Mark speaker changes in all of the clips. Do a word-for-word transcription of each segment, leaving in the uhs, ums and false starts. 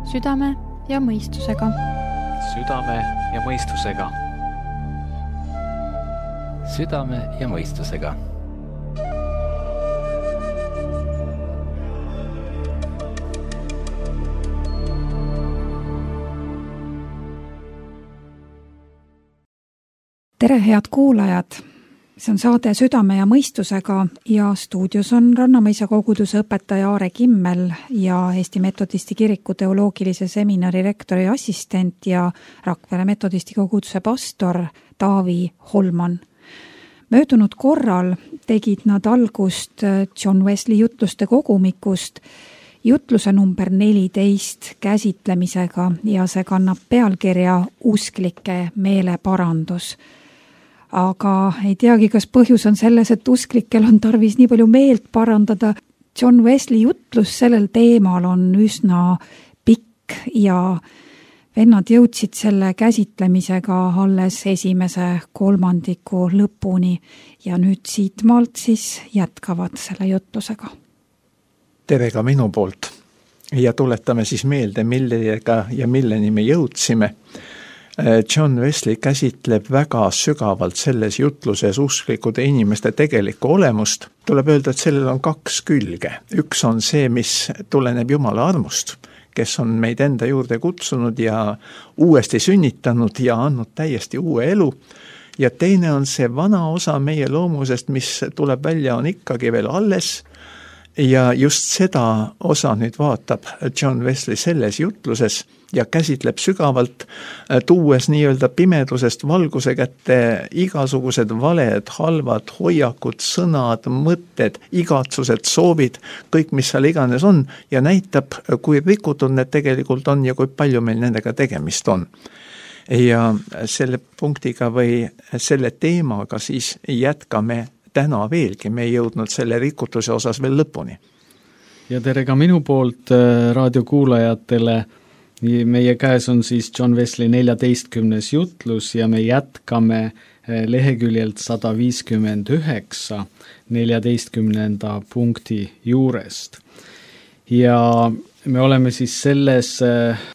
Speaker 1: Südame ja mõistusega.
Speaker 2: Südame ja mõistusega.
Speaker 3: Südame ja mõistusega.
Speaker 4: Tere, head kuulajad! See on saade Südame ja mõistusega ja stuudios on Rannamõisa koguduse õpetaja Aare Kimmel ja Eesti Metodisti Kiriku teoloogilise seminari rektori assistent ja Rakvere Metodisti koguduse pastor Taavi Holman. Möödunud korral tegid nad algust John Wesley jutluste kogumikust jutluse number neliteist käsitlemisega ja see kannab pealkirja Usklike meeleparandus. Aga ei teagi, kas põhjus on selles, et usklikel on tarvis nii palju meelt parandada. John Wesley jutlus sellel teemal on üsna pikk ja vennad jõudsid selle käsitlemisega alles esimese kolmandiku lõpuni ja nüüd siitmaalt siis jätkavad selle jutlusega.
Speaker 5: Tere ka minu poolt ja tuletame siis meelde, millega ja milleni me jõudsime. John Wesley käsitleb väga sügavalt selles jutluses usklikude inimeste tegelikku olemust. Tuleb öelda, et sellel on kaks külge. Üks on see, mis tuleneb Jumala armust, kes on meid enda juurde kutsunud ja uuesti sünnitanud ja andnud täiesti uue elu. Ja teine on see vana osa meie loomusest, mis tuleb välja, on ikkagi veel alles. Ja just seda osa nüüd vaatab John Wesley selles jutluses ja käsitleb sügavalt, tuues nii-öelda pimedusest valguse kätte igasugused valed, halvad hoiakud, sõnad, mõtted, igatsused, soovid, kõik, mis seal iganes on ja näitab, kui rikutud need tegelikult on ja kui palju meil nendega tegemist on. Ja selle punktiga või selle teemaga siis jätkame täna veelgi, me ei jõudnud selle rikutuse osas veel lõpuni.
Speaker 2: Ja tere ka minu poolt raadiokuulajatele. Meie käes on siis John Wesley neljateistkümnes jutlus ja me jätkame leheküljelt sada viiskümmend üheksa neljateistkümnenda punkti juurest. Ja me oleme siis selles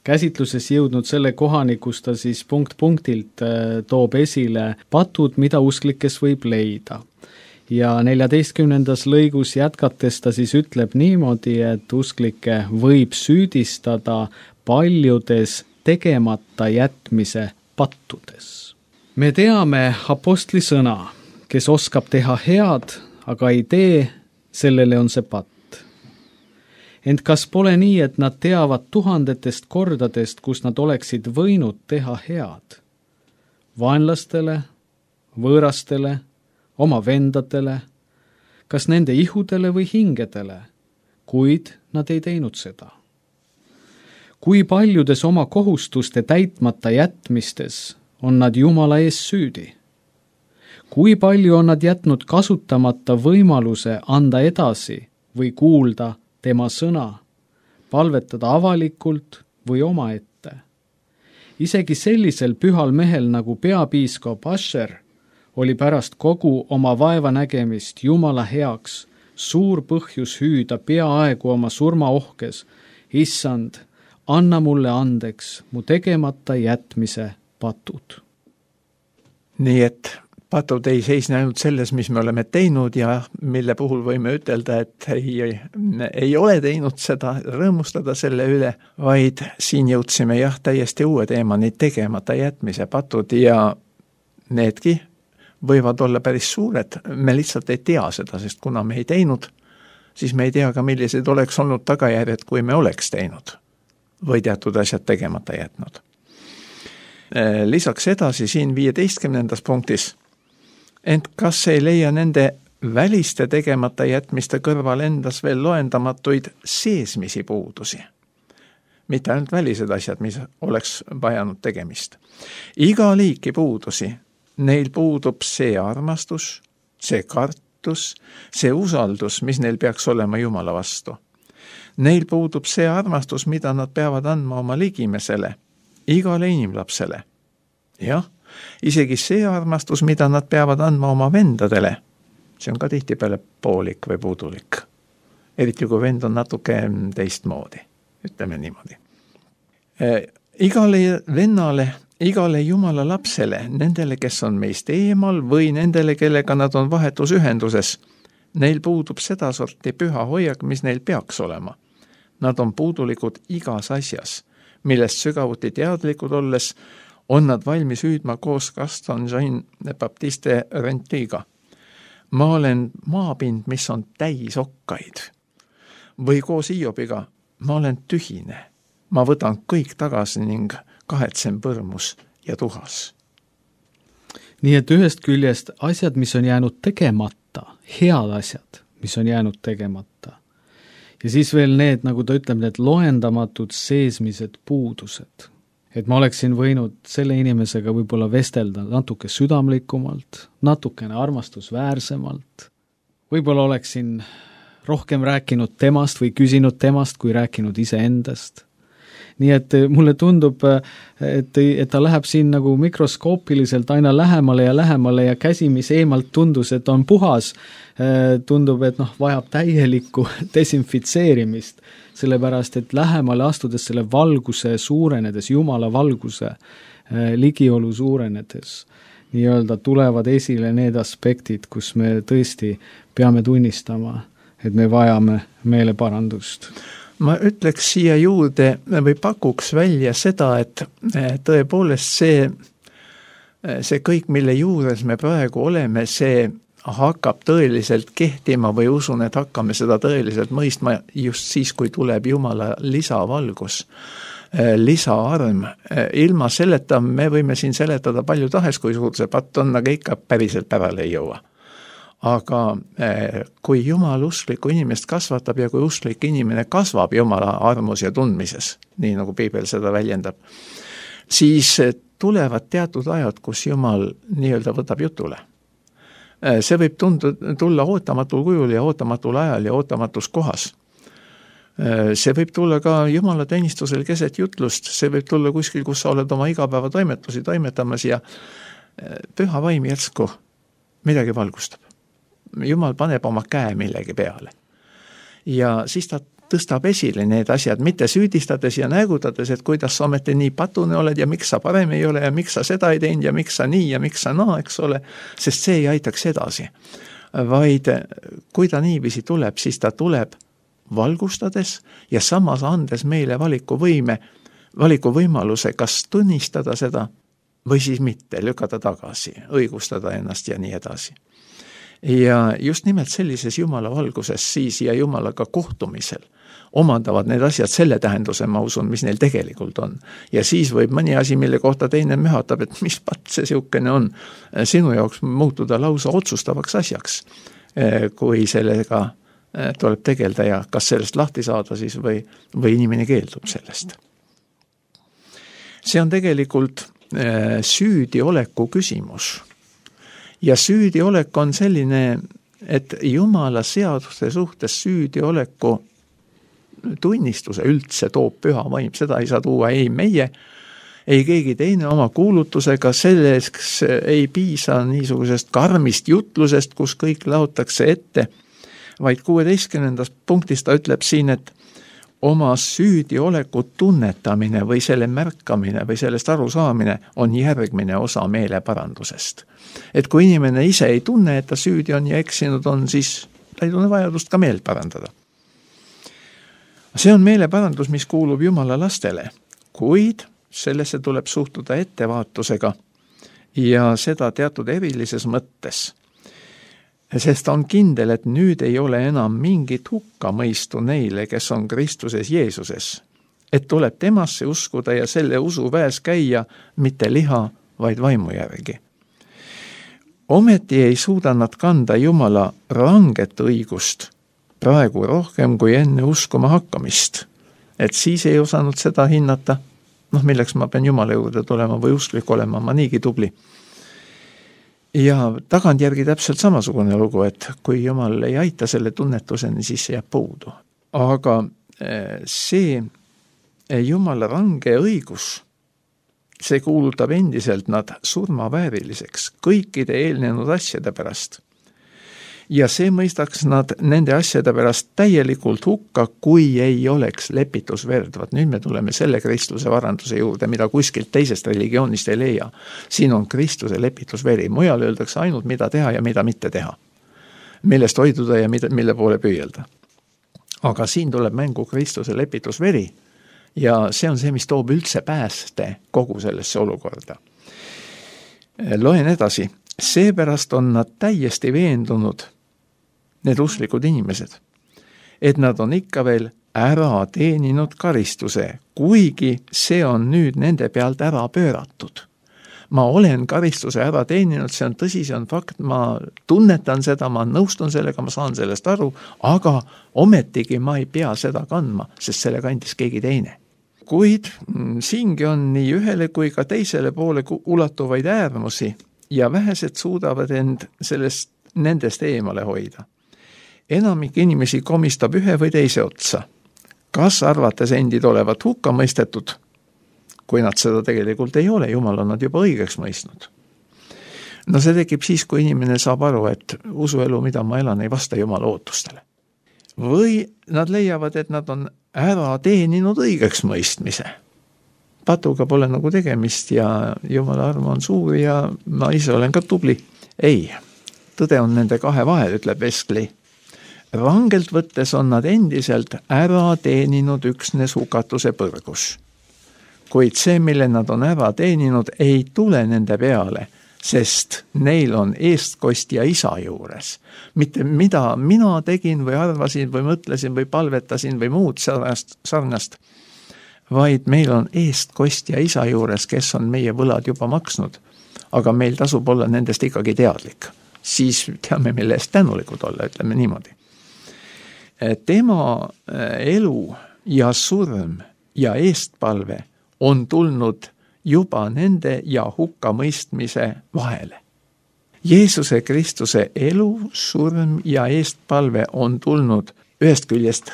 Speaker 2: käsitluses jõudnud selle kohani, kus ta siis punkt punktilt toob esile patud, mida usklikes võib leida. Ja neljateistkümnendas lõigus jätkates ta siis ütleb niimoodi, et usklikke võib süüdistada paljudes tegemata jätmise pattudes. Me teame apostli sõna, kes oskab teha head, aga ei tee, sellele on see patt. Ent kas pole nii, et nad teavad tuhandetest kordadest, kus nad oleksid võinud teha head? Vaenlastele, võõrastele, oma vendadele, kas nende ihudele või hingedele, kuid nad ei teinud seda. Kui paljudes oma kohustuste täitmata jätmistes on nad Jumala ees süüdi? Kui palju on nad jätnud kasutamata võimaluse anda edasi või kuulda tema sõna, palvetada avalikult või omaette? Isegi sellisel pühal mehel nagu peapiiskop Asher oli pärast kogu oma vaevanägemist Jumala heaks suur põhjus hüüda peaaegu oma surmaohkes, issand, anna mulle andeks mu tegemata jätmise patud.
Speaker 5: Nii et patud ei seisne ainult selles, mis me oleme teinud ja mille puhul võime ütelda, et ei, ei, ei ole teinud seda, rõõmustada selle üle, vaid siin jõudsime jah täiesti uue teemani, tegemata jätmise patud ja needki võivad olla päris suured, me lihtsalt ei tea seda, sest kuna me ei teinud, siis me ei tea ka, millised oleks olnud tagajärjed, kui me oleks teinud või teatud asjad tegemata jätnud. Lisaks edasi siin viieteistkümnendas punktis, ent kas ei leia nende väliste tegemata jätmiste kõrval endas veel loendamatuid seesmisi puudusi? Mitte ainult välised asjad, mis oleks vajanud tegemist. Iga liiki puudusi, neil puudub see armastus, see kartus, see usaldus, mis neil peaks olema Jumala vastu. Neil puudub see armastus, mida nad peavad andma oma ligimesele, igale inimlapsele. Jah, isegi see armastus, mida nad peavad andma oma vendadele, see on ka tihtipeale poolik või puudulik. Eriti kui vend on natuke teistmoodi, ütleme niimoodi. igale vennale, igale Jumala lapsele, nendele, kes on meist eemal või nendele, kellega nad on vahetusühenduses, neil puudub seda sorti püha hoiak, mis neil peaks olema. Nad on puudulikud igas asjas, millest sügavuti teadlikud olles on nad valmis hüüdma koos Gaston Jean-Baptiste Rentiga. Ma olen maapind, mis on täis okkaid. Või koos Iobiga, ma olen tühine. Ma võtan kõik tagasi ning kahetsen põrmus ja tuhas.
Speaker 2: Nii et ühest küljest asjad, mis on jäänud tegemata, head asjad, mis on jäänud tegemata. Ja siis veel need, nagu ta ütleb, need loendamatud seesmised puudused. Et ma oleksin võinud selle inimesega võib-olla vestelda natuke südamlikumalt, natukene armastusväärsemalt. Võib-olla oleksin rohkem rääkinud temast või küsinud temast, kui rääkinud iseendast. Nii et mulle tundub, et, et ta läheb siin nagu mikroskoopiliselt aina lähemale ja lähemale ja käsi, mis eemalt tundus, et on puhas, tundub, et noh, vajab täielikku desinfitseerimist, sellepärast, et lähemale astudes selle valguse suurenedes, Jumala valguse ligiolu suurenedes, nii-öelda tulevad esile need aspektid, kus me tõesti peame tunnistama, et me vajame meeleparandust.
Speaker 5: Ma ütleks siia juurde või pakuks välja seda, et tõepoolest see, see kõik, mille juures me praegu oleme, see hakkab tõeliselt kehtima või usun, et hakkame seda tõeliselt mõistma just siis, kui tuleb Jumala lisavalgus, lisaarm. Ilma selleta me võime siin seletada palju tahes, kui suur see patt on, aga ikka päriselt pärale ei jõua. Aga kui Jumal usklikku inimest kasvatab ja kui usklik inimene kasvab Jumala armus ja tundmises, nii nagu Piibel seda väljendab, siis tulevad teatud ajad, kus Jumal nii-öelda võtab jutule. See võib tundu, tulla ootamatul kujul ja ootamatul ajal ja ootamatus kohas. See võib tulla ka Jumala teenistusel keset jutlust, see võib tulla kuskil, kus sa oled oma igapäeva toimetusi toimetamas ja püha vaim järsku midagi valgustab. Jumal paneb oma käe millegi peale. Ja siis ta tõstab esile need asjad, mitte süüdistades ja nägutades, et kuidas sa ometi nii patune oled ja miks sa parem ei ole ja miks sa seda ei teinud ja miks sa nii ja miks sa naa, eks ole, sest see ei aitaks edasi. Vaid kui ta niiviisi tuleb, siis ta tuleb valgustades ja samas andes meile valikuvõime, valikuvõimaluse, kas tunnistada seda või siis mitte, lükata tagasi, õigustada ennast ja nii edasi. Ja just nimelt sellises Jumala valguses siis ja Jumalaga kohtumisel omandavad need asjad selle tähenduse, ma usun, mis neil tegelikult on. Ja siis võib mõni asi, mille kohta teine mühatab, et mis pat see siukene on, sinu jaoks muutuda lausa otsustavaks asjaks, kui sellega tuleb tegelda ja kas sellest lahti saada siis või, või inimene keeldub sellest. See on tegelikult süüdioleku küsimus. Ja süüdiolek on selline, et Jumala seaduste suhtes süüdioleku tunnistuse üldse toob püha vaim. Seda ei saa tuua ei meie, ei keegi teine oma kuulutusega, selleks ei piisa niisugusest karmist jutlusest, kus kõik laotakse ette, vaid kuueteistkümnendast punktist ta ütleb siin, et oma süüdioleku tunnetamine või selle märkamine või sellest arusaamine on järgmine osa meeleparandusest. Et kui inimene ise ei tunne, et ta süüdi on ja eksinud on, siis ta ei tunne vajadust ka meelt parandada. See on meeleparandus, mis kuulub Jumala lastele, kuid sellesse tuleb suhtuda ettevaatusega ja seda teatud erilises mõttes. Sest on kindel, et nüüd ei ole enam mingit hukkamõistu neile, kes on Kristuses Jeesuses. Et tuleb temasse uskuda ja selle usu väes käia mitte liha, vaid vaimu järgi. Ometi ei suuda nad kanda Jumala ranget õigust praegu rohkem kui enne uskuma hakkamist. Et siis ei osanud seda hinnata, noh milleks ma pean Jumala juurde tulema või usklik olema, ma niigi tubli. Ja tagantjärgi täpselt samasugune lugu, et kui Jumal ei aita selle tunnetuseni, siis see jääb puudu. Aga see Jumala range õigus, see kuulutab endiselt nad surmavääriliseks kõikide eelnenud asjade pärast. ja see mõistaks nad nende asjade pärast täielikult hukka, kui ei oleks lepitusverd. Vaat nüüd me tuleme selle Kristuse varanduse juurde, mida kuskilt teisest religioonist ei leia. Siin on Kristuse lepitusveri, mujal öeldakse ainult mida teha ja mida mitte teha. Millest hoiduda ja mida, mille poole püüelda. Aga siin tuleb mängu Kristuse lepitusveri ja see on see, mis toob üldse pääste kogu sellesse olukorda. Loen edasi. Seepärast on nad täiesti veendunud, need usklikud inimesed, et nad on ikka veel ära teeninud karistuse, kuigi see on nüüd nende pealt ära pööratud. Ma olen karistuse ära teeninud, see on tõsi, see on fakt, ma tunnetan seda, ma nõustun sellega, ma saan sellest aru, aga ometigi ma ei pea seda kandma, sest selle kandis keegi teine. Kuid siingi on nii ühele kui ka teisele poole ulatuvaid äärmusi, ja vähesed suudavad end sellest, nendest eemale hoida. Enamik inimesi komistab ühe või teise otsa. Kas arvates endid olevat hukka mõistetud, kui nad seda tegelikult ei ole, Jumal on nad juba õigeks mõistnud. No see tekib siis, kui inimene saab aru, et usuelu, mida ma elan, ei vasta Jumala ootustele. Või nad leiavad, et nad on ära teeninud õigeks mõistmise. Patuga pole nagu tegemist ja Jumala arm on suur ja ma ise olen ka tubli. Ei, tõde on nende kahe vahel, ütleb Wesley. Rangelt võttes on nad endiselt ära teeninud üksnes hukatuse põrgus. Kuid see, mille nad on ära teeninud, ei tule nende peale, sest neil on eestkostja isa juures. Mitte mida mina tegin või arvasin või mõtlesin või palvetasin või muud sarnast, sarnast, vaid meil on eestkostja isa juures, kes on meie võlad juba maksnud, aga meil tasub olla nendest ikkagi teadlik. Siis teame, mille eest tänulikud olla, ütleme niimoodi. Tema elu ja surm ja eestpalve on tulnud juba nende ja hukkamõistmise vahele. Jeesuse Kristuse elu, surm ja eestpalve on tulnud ühest küljest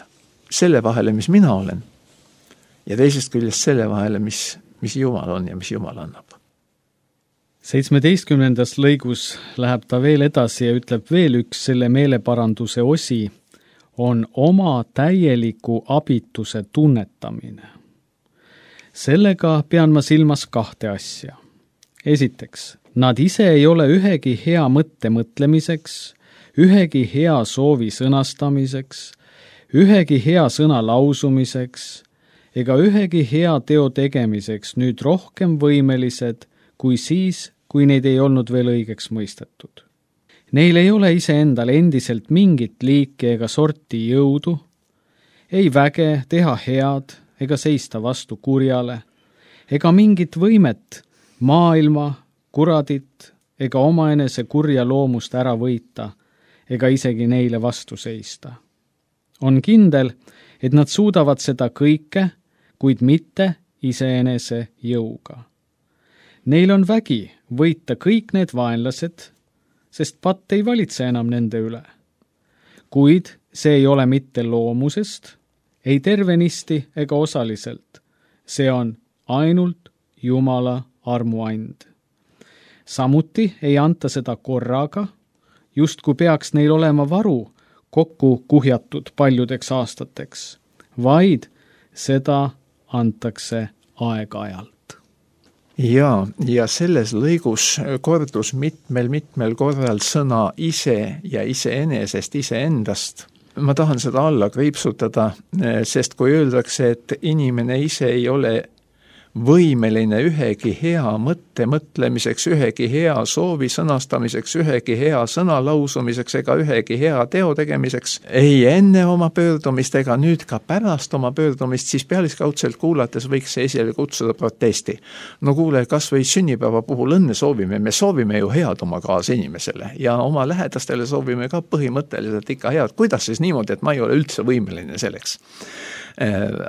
Speaker 5: selle vahele, mis mina olen, ja teisest küljest selle vahele, mis, mis Jumal on ja mis Jumal annab.
Speaker 2: seitsmeteistkümnendas lõigus läheb ta veel edasi ja ütleb veel üks selle meeleparanduse osi, on oma täieliku abituse tunnetamine. Sellega pean ma silmas kahte asja. Esiteks, nad ise ei ole ühegi hea mõtte mõtlemiseks, ühegi hea soovi sõnastamiseks, ühegi hea sõna lausumiseks ega ühegi hea teo tegemiseks nüüd rohkem võimelised kui siis, kui neid ei olnud veel õigeks mõistetud. Neil ei ole iseendal endiselt mingit liiki ega sorti jõudu, ei väge teha head ega seista vastu kurjale, ega mingit võimet maailma, kuradit ega omaenese kurja loomust ära võita ega isegi neile vastu seista. On kindel, et nad suudavad seda kõike, kuid mitte iseenese jõuga. Neil on vägi võita kõik need vaenlased, sest patt ei valitse enam nende üle. Kuid see ei ole mitte loomusest, ei tervenisti ega osaliselt. See on ainult Jumala armuand. Samuti ei anta seda korraga, just kui peaks neil olema varu kokku kuhjatud paljudeks aastateks, vaid seda antakse aeg-ajalt.
Speaker 5: Ja, ja selles lõigus kordus mitmel-mitmel korral sõna ise ja iseenesest, iseendast. Ma tahan seda alla kriipsutada, sest kui öeldakse, et inimene ise ei ole võimeline ühegi hea mõtte mõtlemiseks, ühegi hea soovi sõnastamiseks, ühegi hea sõna lausumiseks ega ühegi hea teo tegemiseks, ei enne oma pöördumist ega nüüd ka pärast oma pöördumist, siis pealiskaudselt kuulates võiks see esile kutsuda protesti. No kuule, kas või sünnipäeva puhul õnne soovime, me soovime ju head oma kaasinimesele ja oma lähedastele soovime ka põhimõtteliselt ikka head. Kuidas siis niimoodi, et ma ei ole üldse võimeline selleks?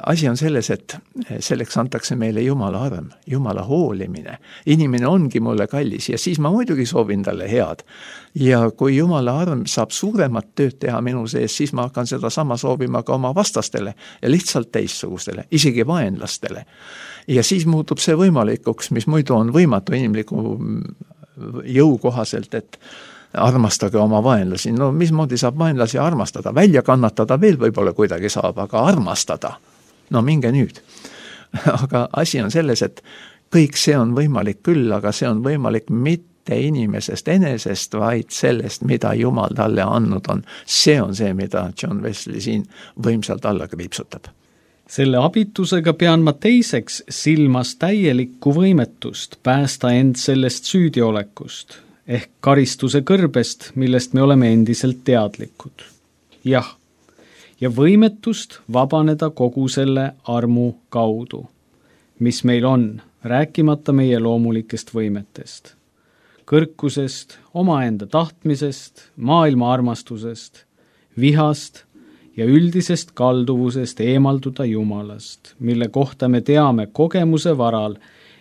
Speaker 5: Asi on selles, et selleks antakse meile Jumala arm, Jumala hoolimine. Inimene ongi mulle kallis ja siis ma muidugi soovin talle head. Ja kui Jumala arm saab suuremat tööd teha minu sees, siis ma hakkan seda sama soovima ka oma vastastele ja lihtsalt teistsugustele, isegi vaenlastele. Ja siis muutub see võimalikuks, mis muidu on võimatu inimliku jõu kohaselt, et armastage oma vaenlasi. No mismoodi saab vaenlasi armastada? Välja kannatada veel võib-olla kuidagi saab, aga armastada? No minge nüüd. Aga asi on selles, et kõik see on võimalik küll, aga see on võimalik mitte inimesest enesest, vaid sellest, mida Jumal talle andnud on. See on see, mida John Wesley siin võimsalt alla kriipsutab.
Speaker 2: Selle abitusega pean ma teiseks silmas täielikku võimetust päästa end sellest süüdiolekust, ehk karistuse kõrbest, millest me oleme endiselt teadlikud. Jah, ja võimetust vabaneda kogu selle armu kaudu, mis meil on, rääkimata meie loomulikest võimetest, kõrkusest, omaenda tahtmisest, maailma armastusest, vihast ja üldisest kalduvusest eemalduda Jumalast, mille kohta me teame kogemuse varal,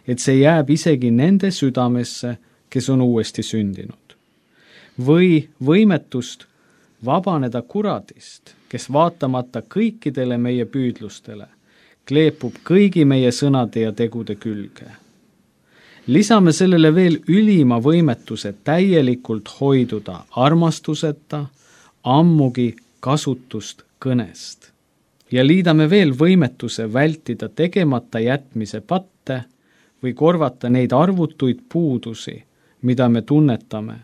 Speaker 2: et see jääb isegi nende südamesse, kes on uuesti sündinud. Või võimetust vabaneda kuradist, kes vaatamata kõikidele meie püüdlustele, kleepub kõigi meie sõnade ja tegude külge. Lisame sellele veel ülima võimetuse täielikult hoiduda armastuseta, ammugi kasutust kõnest. Ja liidame veel võimetuse vältida tegemata jätmise patte või korvata neid arvutuid puudusi, mida me tunnetame,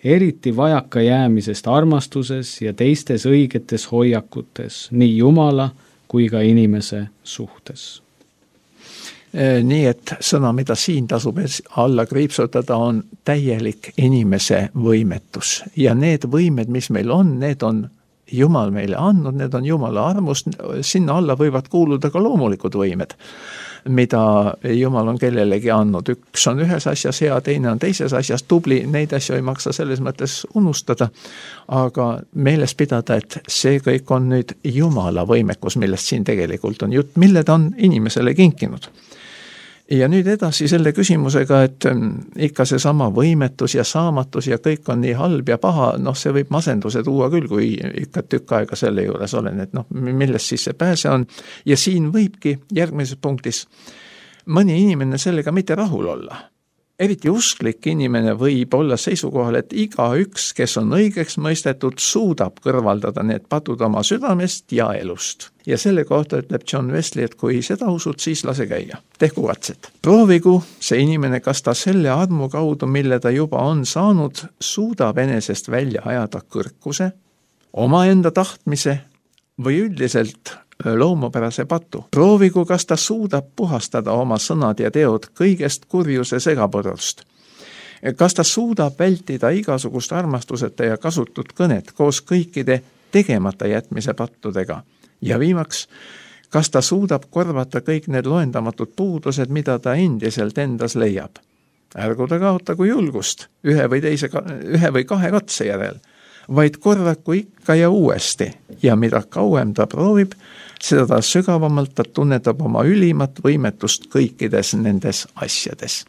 Speaker 2: eriti vajaka jäämisest armastuses ja teistes õigetes hoiakutes, nii Jumala kui ka inimese suhtes.
Speaker 5: Nii et sõna, mida siin tasub alla kriipsutada, on täielik inimese võimetus. Ja need võimed, mis meil on, need on Jumal meile andnud, need on Jumala armust, sinna alla võivad kuuluda ka loomulikud võimed, mida Jumal on kellelegi andnud. Üks on ühes asjas hea, teine on teises asjas tubli, neid asju ei maksa selles mõttes unustada, aga meeles pidada, et see kõik on nüüd Jumala võimekus, millest siin tegelikult on jutt, mille ta on inimesele kinkinud. Ja nüüd edasi selle küsimusega, et ikka see sama võimetus ja saamatus ja kõik on nii halb ja paha, noh see võib masenduse tuua küll, kui ikka tükk aega selle juures olen, et noh, millest siis see pääse on. Ja siin võibki järgmises punktis mõni inimene sellega mitte rahul olla. Eriti usklik inimene võib olla seisukohal, et iga üks, kes on õigeks mõistetud, suudab kõrvaldada need patud oma südamest ja elust. Ja selle kohta ütleb John Wesley, et kui seda usud, siis lase käia. Tehku katset. Proovigu see inimene, kas ta selle armu kaudu, mille ta juba on saanud, suudab enesest välja ajada kõrkuse, omaenda tahtmise või üldiselt loomupärase patu. Proovigu, kas ta suudab puhastada oma sõnad ja teod kõigest kurjuse segapõrust. Kas ta suudab vältida igasugust armastuseta ja kasutut kõnet koos kõikide tegemata jätmise pattudega. Ja viimaks, kas ta suudab korvata kõik need loendamatud puudused, mida ta endiselt endas leiab. Ärgu ta kaotagu julgust ühe või, teise, ühe või kahe katse järel, vaid korraku ikka ja uuesti ja mida kauem ta proovib, seda ta sügavamalt ta tunnetab oma ülimat võimetust kõikides nendes asjades.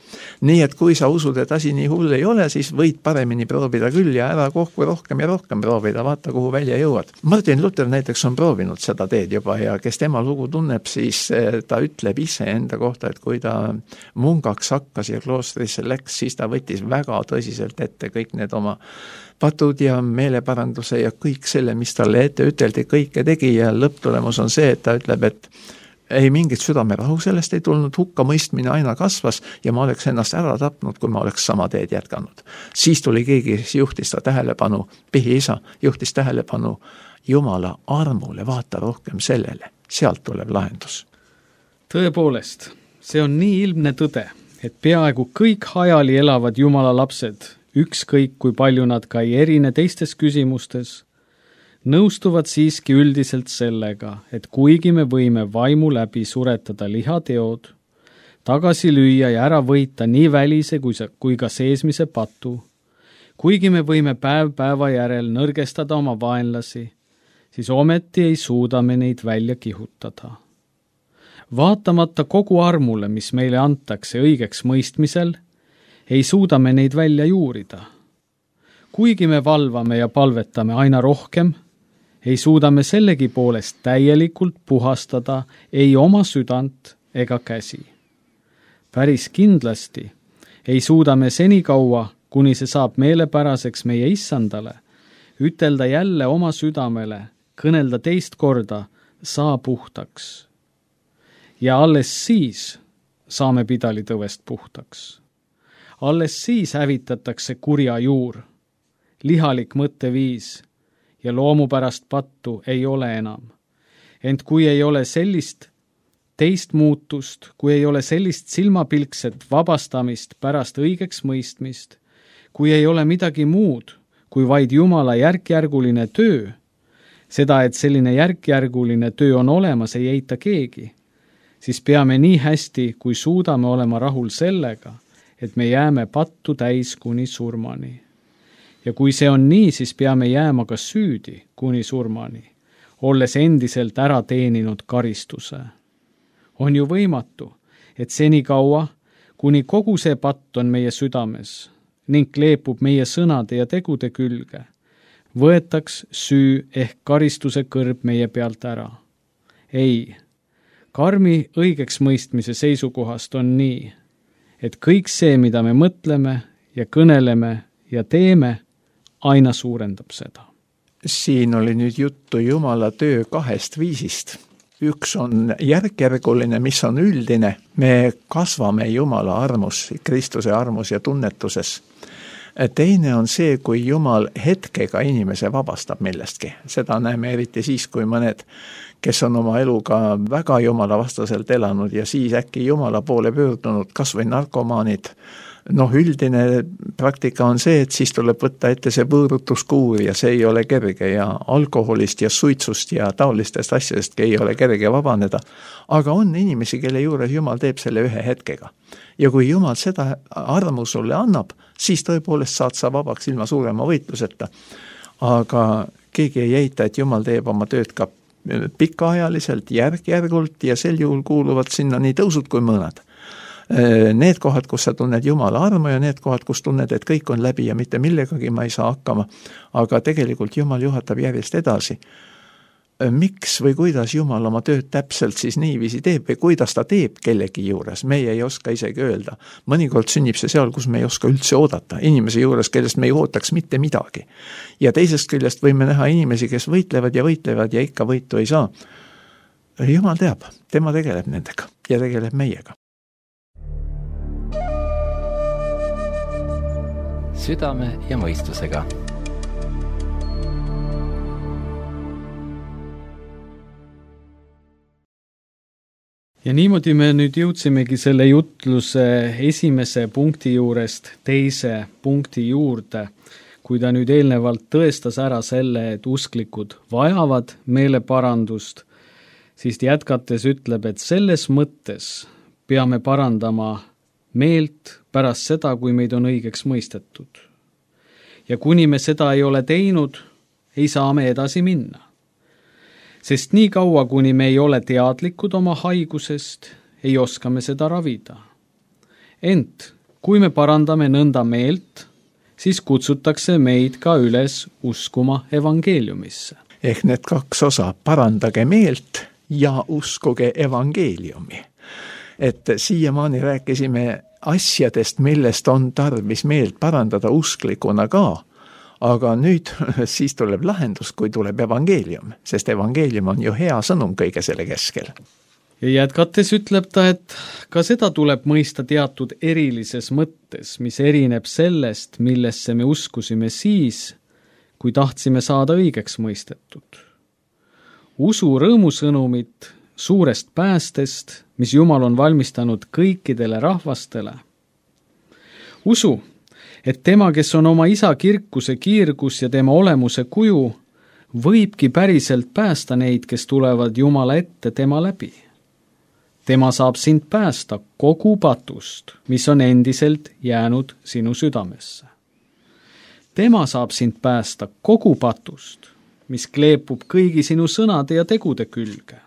Speaker 5: Nii et kui sa usud, et asi nii hull ei ole, siis võid paremini proovida küll ja ära kohku rohkem ja rohkem proovida, vaata kuhu välja jõuad. Martin Luther näiteks on proovinud seda teed juba ja kes tema lugu tunneb, siis ta ütleb ise enda kohta, et kui ta mungaks hakkas ja kloostrisse läks, siis ta võttis väga tõsiselt ette kõik need oma patud ja meeleparanduse ja kõik selle, mis talle ette üteldi, kõike tegi ja lõpptulemus on see, et ta ütleb, et ei mingit südamerahu sellest ei tulnud, hukka mõistmine aina kasvas ja ma oleks ennast ära tapnud, kui ma oleks sama teed jätkanud. Siis tuli keegi, juhtis ta tähelepanu, Pihi isa juhtis tähelepanu Jumala armule, vaata rohkem sellele, sealt tuleb lahendus.
Speaker 2: Tõepoolest, see on nii ilmne tõde, et peaaegu kõik hajali elavad Jumala lapsed, ükskõik kui palju nad ka ei erine teistes küsimustes, nõustuvad siiski üldiselt sellega, et kuigi me võime vaimu läbi suretada lihateod, tagasi lüüa ja ära võita nii välise kui, kui ka seesmise patu, kuigi me võime päev päeva järel nõrgestada oma vaenlasi, siis ometi ei suuda me neid välja kihutada. Vaatamata kogu armule, mis meile antakse õigeks mõistmisel, ei suuda me neid välja juurida. Kuigi me valvame ja palvetame aina rohkem, ei suuda me sellegi poolest täielikult puhastada ei oma südant ega käsi. Päris kindlasti ei suuda me senikaua, kuni see saab meelepäraseks meie issandale, ütelda jälle oma südamele, kõnelda teist korda, saa puhtaks. Ja alles siis saame pidalitõvest puhtaks. Alles siis hävitatakse kurja juur, lihalik mõtteviis ja loomupärast pattu ei ole enam. Ent kui ei ole sellist teist muutust, kui ei ole sellist silmapilkset vabastamist pärast õigeks mõistmist, kui ei ole midagi muud, kui vaid Jumala järkjärguline töö, seda, et selline järkjärguline töö on olemas, ei eita keegi, siis peame nii hästi, kui suudame olema rahul sellega, et me jääme pattu täis kuni surmani. Ja kui see on nii, siis peame jääma ka süüdi kuni surmani, olles endiselt ära teeninud karistuse. On ju võimatu, et senikaua, kuni kogu see patt on meie südames ning kleepub meie sõnade ja tegude külge, võetaks süü ehk karistuse kõrb meie pealt ära. Ei, karmi õigeks mõistmise seisukohast on nii, et kõik see, mida me mõtleme ja kõneleme ja teeme, aina suurendab seda.
Speaker 5: Siin oli nüüd juttu Jumala töö kahest viisist. Üks on järkjärguline, mis on üldine. Me kasvame Jumala armus, Kristuse armus ja tunnetuses. Teine on see, kui Jumal hetkega inimese vabastab millestki. Seda näeme eriti siis, kui mõned, kes on oma eluga väga Jumala vastaselt elanud ja siis äkki Jumala poole pöördunud, kas või narkomaanid. Noh, üldine praktika on see, et siis tuleb võtta ette see võõrutuskuur ja see ei ole kerge ja alkoholist ja suitsust ja taolistest asjadest ei ole kerge vabaneda. Aga on inimesi, kelle juures Jumal teeb selle ühe hetkega. Ja kui Jumal seda armu sulle annab, siis tõepoolest saad sa vabaks ilma suurema võitluseta. Aga keegi ei eita, et Jumal teeb oma tööd ka pikaajaliselt, järk-järgult ja sel juhul kuuluvad sinna nii tõusud kui mõõnad. Need kohad, kus sa tunned Jumala armu ja need kohad, kus tunned, et kõik on läbi ja mitte millegagi ma ei saa hakkama, aga tegelikult Jumal juhatab järjest edasi. Miks või kuidas Jumal oma tööd täpselt siis niiviisi teeb või kuidas ta teeb kellegi juures, meie ei oska isegi öelda. Mõnikord sünnib see seal, kus me ei oska üldse oodata, inimese juures, kellest me ei ootaks mitte midagi. Ja teisest küljest võime näha inimesi, kes võitlevad ja võitlevad ja ikka võitu ei saa. Jumal teab, tema tegeleb nendega ja tegeleb meiega.
Speaker 3: Südame ja mõistusega.
Speaker 2: Ja niimoodi me nüüd jõudsimegi selle jutluse esimese punkti juurest teise punkti juurde, kui ta nüüd eelnevalt tõestas ära selle, et usklikud vajavad meeleparandust, siis jätkates ütleb, et selles mõttes peame parandama meelt pärast seda, kui meid on õigeks mõistetud. Ja kuni me seda ei ole teinud, ei saa me edasi minna. Sest nii kaua, kuni me ei ole teadlikud oma haigusest, ei oska me seda ravida. Ent kui me parandame nõnda meelt, siis kutsutakse meid ka üles uskuma evangeeliumisse.
Speaker 5: Ehk need kaks osa, parandage meelt ja uskuge evangeeliumi. Et siiamaani rääkisime asjadest, millest on tarvis meelt parandada usklikuna ka, aga nüüd siis tuleb lahendus, kui tuleb evangeelium, sest evangeelium on ju hea sõnum kõige selle keskel.
Speaker 2: Ja jätkates ütleb ta, et ka seda tuleb mõista teatud erilises mõttes, mis erineb sellest, millesse me uskusime siis, kui tahtsime saada õigeks mõistetud. Usu rõõmusõnumit suurest päästest, mis Jumal on valmistanud kõikidele rahvastele. Usu, et tema, kes on oma isa kirkuse kiirgus ja tema olemuse kuju, võibki päriselt päästa neid, kes tulevad Jumala ette tema läbi. Tema saab sind päästa kogu patust, mis on endiselt jäänud sinu südamesse. Tema saab sind päästa kogu patust, mis kleepub kõigi sinu sõnade ja tegude külge.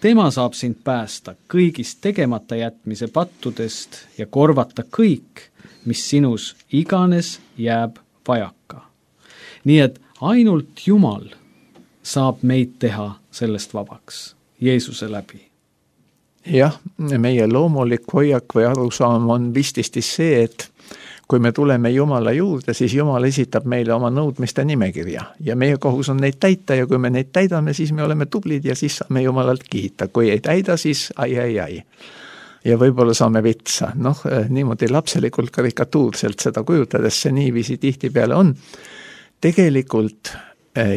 Speaker 2: Tema saab sind päästa kõigist tegemata jätmise pattudest ja korvata kõik, mis sinus iganes jääb vajaka. Nii et ainult Jumal saab meid teha sellest vabaks, Jeesuse läbi.
Speaker 5: Jah, meie loomulik hoiak või arusaam on vististi see, et kui me tuleme Jumala juurde, siis Jumal esitab meile oma nõudmiste nimekirja ja meie kohus on neid täita ja kui me neid täidame, siis me oleme tublid ja siis saame Jumalalt kiita. Kui ei täida, siis ai, ai, ai. Ja võib-olla saame vitsa. Noh, niimoodi lapselikult karikatuurselt seda kujutades see niiviisi tihtipeale on. Tegelikult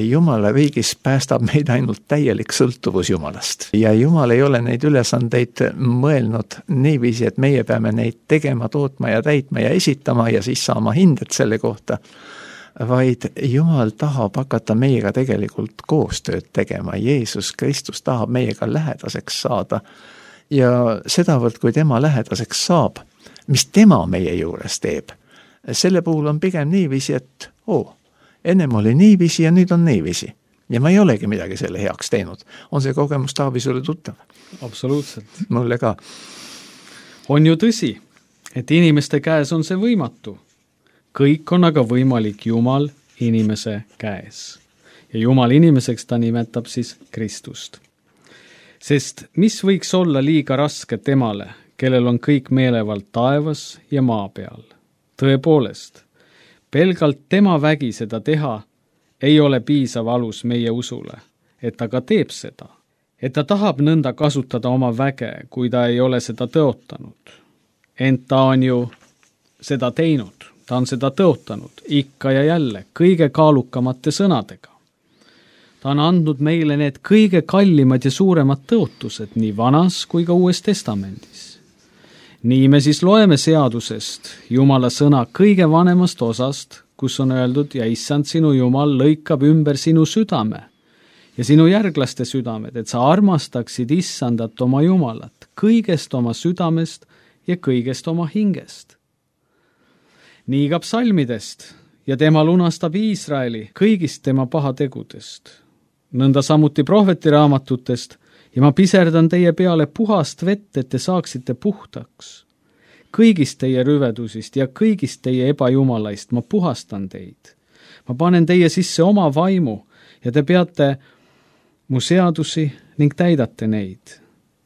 Speaker 5: Jumala riigis päästab meid ainult täielik sõltuvus Jumalast. Ja Jumal ei ole neid ülesandeid mõelnud niiviisi, et meie peame neid tegema, tootma ja täitma ja esitama ja siis saama hindet selle kohta, vaid Jumal tahab hakata meiega tegelikult koostööd tegema. Jeesus Kristus tahab meiega lähedaseks saada ja sedavõrd, kui tema lähedaseks saab, mis tema meie juures teeb, selle puhul on pigem niiviisi, et oo, ennem oli niiviisi ja nüüd on niiviisi. Ja ma ei olegi midagi selle heaks teinud. On see kogemus, Taavi, sulle tuttav?
Speaker 2: Absoluutselt.
Speaker 5: Mulle ka.
Speaker 2: On ju tõsi, et inimeste käes on see võimatu. Kõik on aga võimalik Jumal inimese käes. Ja Jumal inimeseks ta nimetab siis Kristust. Sest mis võiks olla liiga raske temale, kellel on kõik meelevald taevas ja maa peal? Tõepoolest, pelgalt tema vägi seda teha ei ole piisav alus meie usule, et ta ka teeb seda. Et ta tahab nõnda kasutada oma väge, kui ta ei ole seda tõotanud. Ent ta on ju seda teinud, ta on seda tõotanud ikka ja jälle kõige kaalukamate sõnadega. Ta on andnud meile need kõige kallimad ja suuremad tõotused nii vanas kui ka uues testamendis. Nii me siis loeme seadusest Jumala sõna kõige vanemast osast, kus on öeldud ja issand sinu Jumal lõikab ümber sinu südame ja sinu järglaste südamed, et sa armastaksid issandat oma Jumalat kõigest oma südamest ja kõigest oma hingest. Nii ka psalmidest ja tema lunastab Iisraeli kõigist tema pahategudest. Nõnda samuti prohvetiraamatutest ja ma piserdan teie peale puhast vett, et te saaksite puhtaks. Kõigist teie rüvedusist ja kõigist teie ebajumalaist ma puhastan teid. Ma panen teie sisse oma vaimu ja te peate mu seadusi ning täidate neid.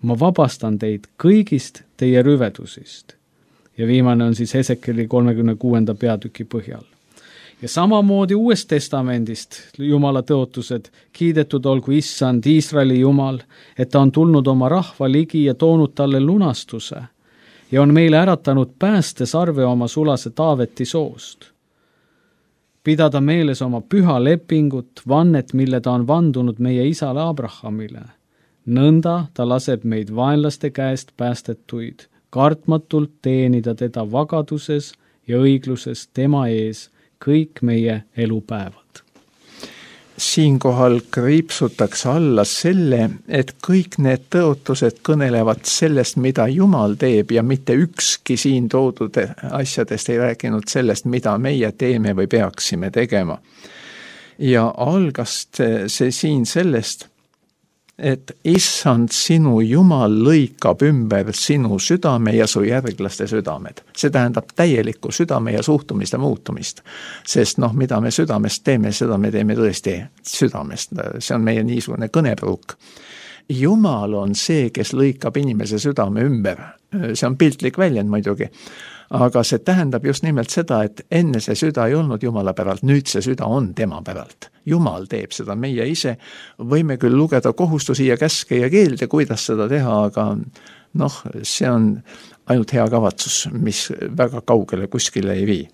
Speaker 2: Ma vabastan teid kõigist teie rüvedusist. Ja viimane on siis Hesekeli kolmekümne kuuenda peatüki põhjal. Ja samamoodi uuest testamendist Jumala tõotused, kiidetud olgu issand Iisraeli Jumal, et ta on tulnud oma rahva ligi ja toonud talle lunastuse ja on meile äratanud pääste sarve oma sulase Taaveti soost. Pidada meeles oma püha lepingut, vannet, mille ta on vandunud meie isale Abrahamile. Nõnda ta laseb meid vaenlaste käest päästetuid, kartmatult teenida teda vagaduses ja õigluses tema ees, kõik meie elupäevad.
Speaker 5: Siinkohal kriipsutakse alla selle, et kõik need tõotused kõnelevad sellest, mida Jumal teeb ja mitte ükski siin toodud asjadest ei rääkinud sellest, mida meie teeme või peaksime tegema. Ja algas see siin sellest, et issand sinu Jumal lõikab ümber sinu südame ja su järglaste südamed. See tähendab täielikku südame ja suhtumiste muutumist. Sest noh, mida me südamest teeme, seda me teeme tõesti südamest. See on meie niisugune kõnepruuk. Jumal on see, kes lõikab inimese südame ümber. See on piltlik väljend muidugi. Aga see tähendab just nimelt seda, et enne see süda ei olnud Jumala päralt, nüüd see süda on tema päralt. Jumal teeb seda, meie ise võime küll lugeda kohustusi ja käske ja keelde, kuidas seda teha, aga noh, see on ainult hea kavatsus, mis väga kaugele kuskile ei vii.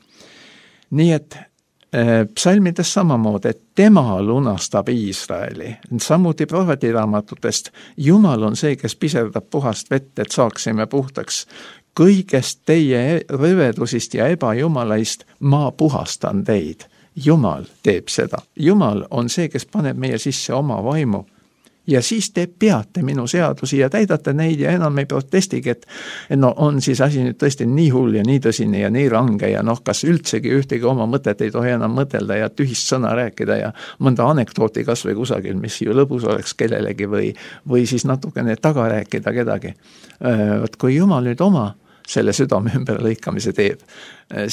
Speaker 5: Nii et psalmides samamoodi, et tema lunastab Iisraeli. Samuti prohvetiraamatutest Jumal on see, kes piserdab puhast vett, et saaksime puhtaks. Kõigest teie rüvedusist ja ebajumalaist ma puhastan teid. Jumal teeb seda. Jumal on see, kes paneb meie sisse oma vaimu. Ja siis te peate minu seadusi ja täidate neid ja enam ei protestigi, et no on siis asi nüüd tõesti nii hull ja nii tõsine ja nii range ja noh, kas üldsegi ühtegi oma mõtet ei tohi enam mõtelda ja tühist sõna rääkida ja mõnda anekdooti kas või kusagil, mis ju lõbus oleks kellelegi või, või siis natukene taga rääkida kedagi. Võt kui Jumal nüüd oma selle südame ümber lõikamise teeb,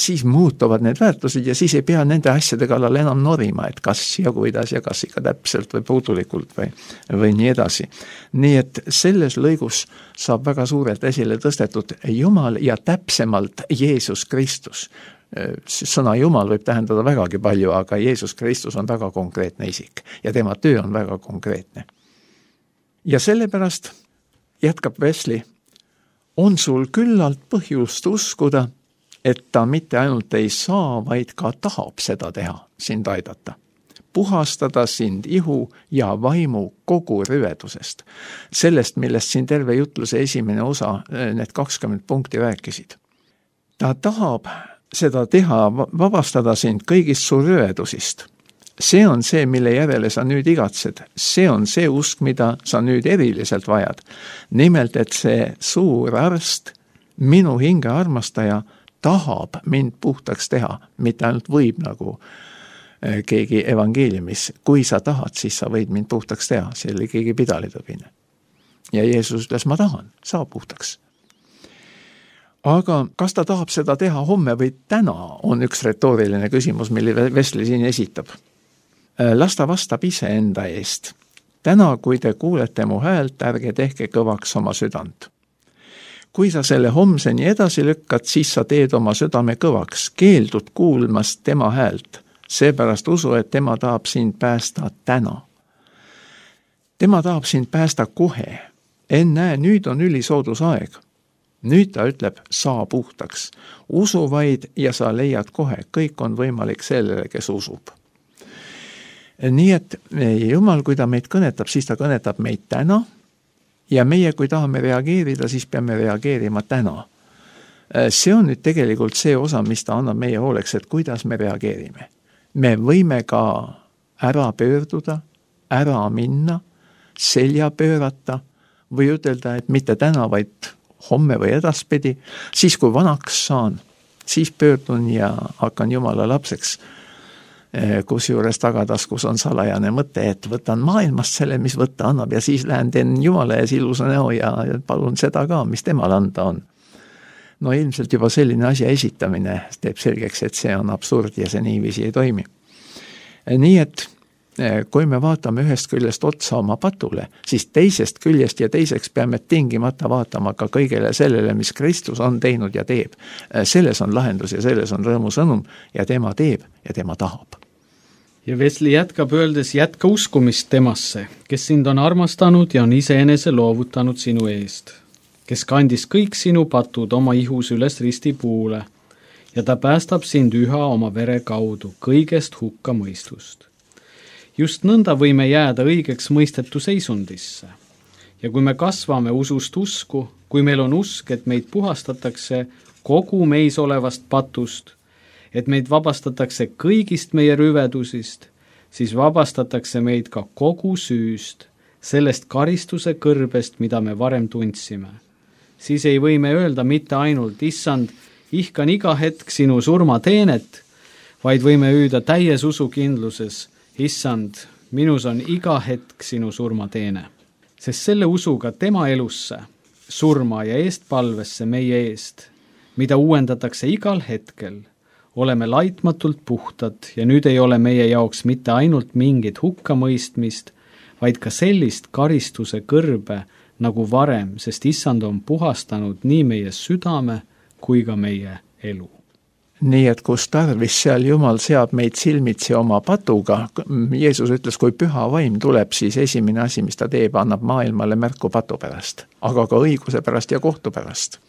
Speaker 5: siis muutuvad need väärtused ja siis ei pea nende asjade kallal enam norima, et kas ja kuidas ja kas ikka täpselt või puudulikult või, või nii edasi. Nii et selles lõigus saab väga suurelt esile tõstetud Jumal ja täpsemalt Jeesus Kristus. sõna Jumal võib tähendada vägagi palju, aga Jeesus Kristus on väga konkreetne isik ja tema töö on väga konkreetne. Ja sellepärast, jätkab Wesley, on sul küllalt põhjust uskuda, et ta mitte ainult ei saa, vaid ka tahab seda teha, sind aidata. Puhastada sind ihu ja vaimu kogu rüvedusest. Sellest, millest siin terve jutluse esimene osa, need kakskümmend punkti rääkisid. Ta tahab seda teha, vabastada sind kõigist su rüvedusist. See on see, mille järele sa nüüd igatsed. See on see usk, mida sa nüüd eriliselt vajad. Nimelt, et see suur arst, minu hinge armastaja, tahab mind puhtaks teha, mitte ainult võib nagu keegi evangeeliumis. Kui sa tahad, siis sa võid mind puhtaks teha. See oli keegi pidalitõbine. Ja Jeesus ütles, ma tahan, saa puhtaks. Aga kas ta tahab seda teha homme või täna, on üks retooriline küsimus, mille Wesley siin esitab. Las ta vastab ise enda eest. Täna, kui te kuulete mu häält, ärge tehke kõvaks oma südant. Kui sa selle homseni edasi lükkad, siis sa teed oma südame kõvaks, keeldud kuulmast tema häält. Seepärast usu, et tema tahab sind päästa täna. Tema tahab sind päästa kohe. Ennäe, nüüd on ülisoodus aeg. Nüüd ta ütleb, saa puhtaks. Usu vaid ja sa leiad kohe. Kõik on võimalik sellele, kes usub. Nii et Jumal, kui ta meid kõnetab, siis ta kõnetab meid täna. Ja meie, kui tahame reageerida, siis peame reageerima täna. See on nüüd tegelikult see osa, mis ta annab meie hooleks, et kuidas me reageerime. Me võime ka ära pöörduda, ära minna, selja pöörata või ütelda, et mitte täna, vaid homme või edaspidi. Siis, kui vanaks saan, siis pöördun ja hakkan Jumala lapseks, kus juures tagataskus on salajane mõte, et võtan maailmast selle, mis võtta annab ja siis lähen teen Jumala ees ilusa näo ja palun seda ka, mis temal anda on. No ilmselt juba selline asja esitamine teeb selgeks, et see on absurd ja see niiviisi ei toimi. Nii et kui me vaatame ühest küljest otsa oma patule, siis teisest küljest ja teiseks peame tingimata vaatama ka kõigele sellele, mis Kristus on teinud ja teeb. Selles on lahendus ja selles on rõõmu sõnum ja tema teeb ja tema tahab.
Speaker 2: Ja Wesley jätkab öeldes, jätka uskumist temasse, kes sind on armastanud ja on iseenese loovutanud sinu eest, kes kandis kõik sinu patud oma ihus üles ristipuule ja ta päästab sind üha oma vere kaudu kõigest hukka mõistust. Just nõnda võime jääda õigeks mõistetu seisundisse. Ja kui me kasvame usust usku, kui meil on usk, et meid puhastatakse kogu meis olevast patust, et meid vabastatakse kõigist meie rüvedusist, siis vabastatakse meid ka kogu süüst, sellest karistuse kõrbest, mida me varem tundsime. Siis ei või me öelda mitte ainult, issand, ihkan iga hetk sinu surmateenet, vaid võime hüüda täies usukindluses, issand, minus on iga hetk sinu surmateene. Sest selle usuga tema elusse, surma ja eestpalvesse meie eest, mida uuendatakse igal hetkel, oleme laitmatult puhtad ja nüüd ei ole meie jaoks mitte ainult mingit hukkamõistmist, vaid ka sellist karistuse kõrbe, nagu varem, sest issand on puhastanud nii meie südame kui ka meie elu.
Speaker 5: Nii et kus tarvis, seal Jumal seab meid silmitsi oma patuga. Jeesus ütles, kui püha vaim tuleb, siis esimene asi, mis ta teeb, annab maailmale märku patu pärast, aga ka õiguse pärast ja kohtu pärast.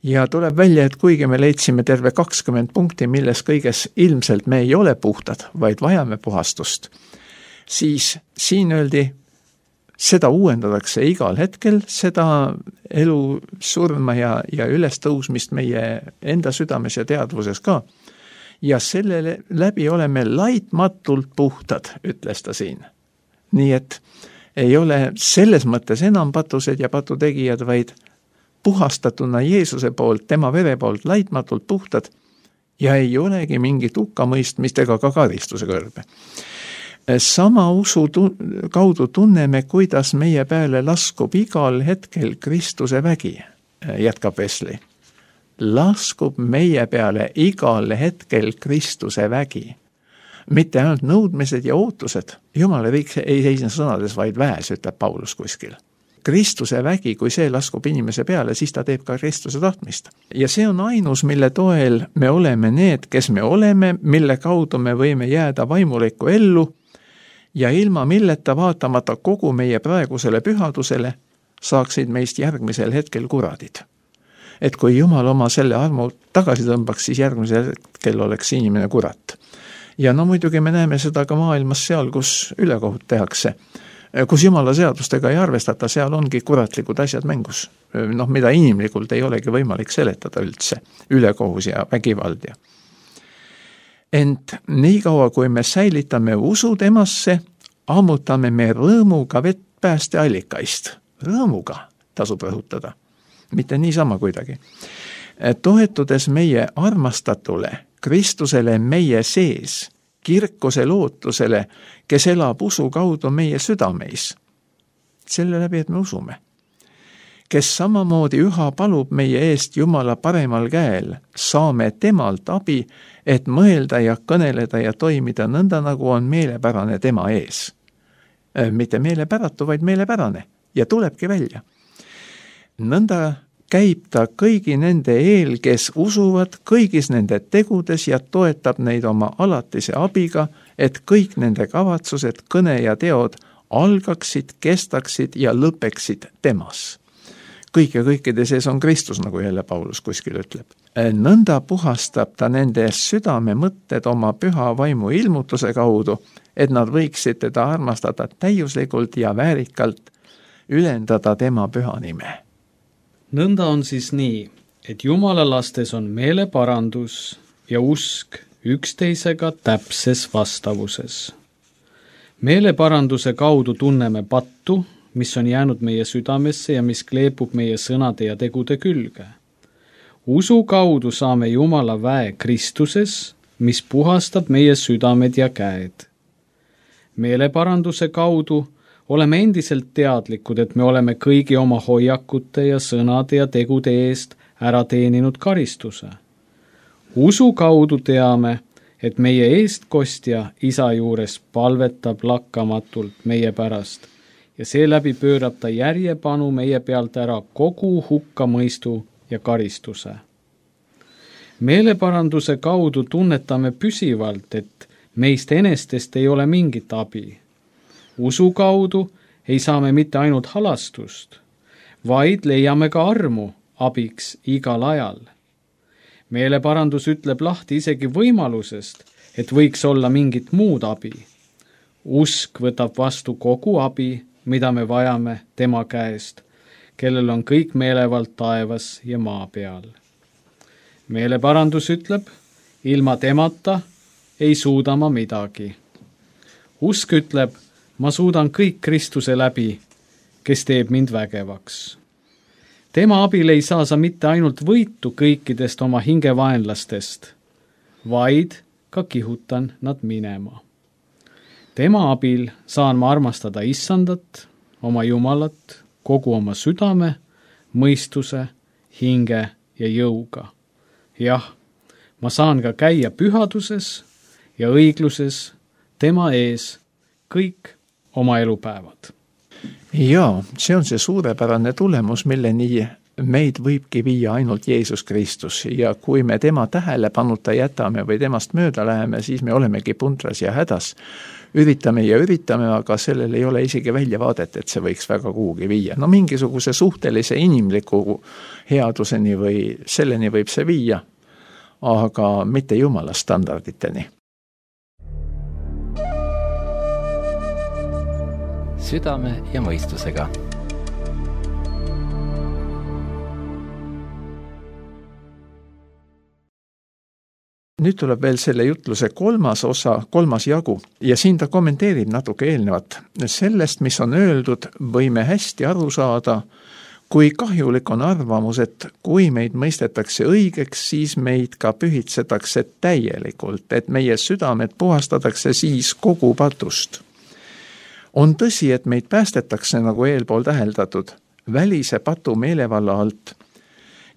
Speaker 5: Ja tuleb välja, et kuigi me leidsime terve kakskümmend punkti, milles kõiges ilmselt me ei ole puhtad, vaid vajame puhastust, siis siin öeldi, seda uuendatakse igal hetkel, seda elu surma ja, ja ülestõusmist meie enda südames ja teadvuses ka. Ja selle läbi oleme laitmatult puhtad, ütles ta siin. Nii et ei ole selles mõttes enam patused ja patutegijad, vaid puhastatuna Jeesuse poolt, tema vere poolt laitmatult puhtad ja ei olegi mingit hukkamõistmist ega ka karistuse kõrbe. Sama usu kaudu tunneme, kuidas meie peale laskub igal hetkel Kristuse vägi, jätkab Wesley. Laskub meie peale igal hetkel Kristuse vägi. Mitte ainult nõudmised ja ootused. Jumala riik ei seisne sõnades, vaid väes, ütleb Paulus kuskil. Kristuse vägi, kui see laskub inimese peale, siis ta teeb ka Kristuse tahtmist. Ja see on ainus, mille toel me oleme need, kes me oleme, mille kaudu me võime jääda vaimulikku ellu ja ilma milleta vaatamata kogu meie praegusele pühadusele saaksid meist järgmisel hetkel kuradid. Et kui Jumal oma selle armu tagasi tõmbaks, siis järgmisel hetkel oleks inimene kurat. Ja no muidugi me näeme seda ka maailmas seal, kus ülekohut tehakse. Kus Jumala seadustega ei arvestata, seal ongi kuratlikud asjad mängus. Noh, mida inimlikult ei olegi võimalik seletada üldse. Ülekohus ja vägivald. Ja. Ent nii kaua, kui me säilitame usu temasse, ammutame me rõõmuga vett päästeallikaist. Rõõmuga tasub rõhutada. Mitte niisama kuidagi. Toetudes meie armastatule, Kristusele meie sees, kirkuse lootusele, kes elab usu kaudu meie südameis. Selle läbi, et me usume. Kes samamoodi üha palub meie eest Jumala paremal käel, saame temalt abi, et mõelda ja kõneleda ja toimida nõnda, nagu on meelepärane tema ees. Mitte meelepäratu, vaid meelepärane. Ja tulebki välja. Nõnda käib ta kõigi nende eel, kes usuvad kõigis nende tegudes ja toetab neid oma alatise abiga, et kõik nende kavatsused, kõne ja teod algaksid, kestaksid ja lõpeksid temas. Kõik ja kõikide sees on Kristus, nagu jälle Paulus kuskil ütleb. Nõnda puhastab ta nende südame mõtted oma püha vaimu ilmutuse kaudu, et nad võiksid teda armastada täiuslikult ja väärikalt, ülendada tema püha nime.
Speaker 2: Nõnda on siis nii, et Jumala lastes on meeleparandus ja usk üksteisega täpses vastavuses. Meeleparanduse kaudu tunneme pattu, mis on jäänud meie südamesse ja mis kleepub meie sõnade ja tegude külge. Usu kaudu saame Jumala väe Kristuses, mis puhastab meie südamed ja käed. Meeleparanduse kaudu oleme endiselt teadlikud, et me oleme kõigi oma hoiakute ja sõnade ja tegude eest ära teeninud karistuse. Usu kaudu teame, et meie eestkostja isa juures palvetab lakkamatult meie pärast ja seeläbi pöörab ta järjepanu meie pealt ära kogu hukkamõistu ja karistuse. Meeleparanduse kaudu tunnetame püsivalt, et meist enestest ei ole mingit abi. Usu kaudu ei saa me mitte ainult halastust, vaid leiame ka armu abiks igal ajal. Meeleparandus ütleb lahti isegi võimalusest, et võiks olla mingit muud abi. Usk võtab vastu kogu abi, mida me vajame tema käest, kellel on kõik meelevald taevas ja maa peal. Meeleparandus ütleb, ilma temata ei suuda ma midagi. Usk ütleb, ma suudan kõik Kristuse läbi, kes teeb mind vägevaks. Tema abil ei saa sa mitte ainult võitu kõikidest oma hingevaenlastest, vaid ka kihutan nad minema. Tema abil saan ma armastada Issandat, oma Jumalat, kogu oma südame, mõistuse, hinge ja jõuga. Jah, ma saan ka käia pühaduses ja õigluses tema ees kõik oma elupäevad.
Speaker 5: Jaa, see on see suurepärane tulemus, milleni meid võibki viia ainult Jeesus Kristus ja kui me tema tähelepanuta jätame või temast mööda läheme, siis me olemegi puntras ja hädas. Üritame ja üritame, aga sellel ei ole isegi väljavaadet, et see võiks väga kuhugi viia. No mingisuguse suhtelise inimliku headuseni või selleni võib see viia, aga mitte Jumala standarditeni.
Speaker 3: Südame ja mõistusega.
Speaker 5: Nüüd tuleb veel selle jutluse kolmas osa, kolmas jagu ja siin ta kommenteerib natuke eelnevat. Sellest, mis on öeldud, võime hästi aru saada, kui kahjulik on arvamus, et kui meid mõistetakse õigeks, siis meid ka pühitsetakse täielikult, et meie südamed puhastatakse siis kogu patust. On tõsi, et meid päästetakse, nagu eelpool täheldatud, välise patu meelevalla alt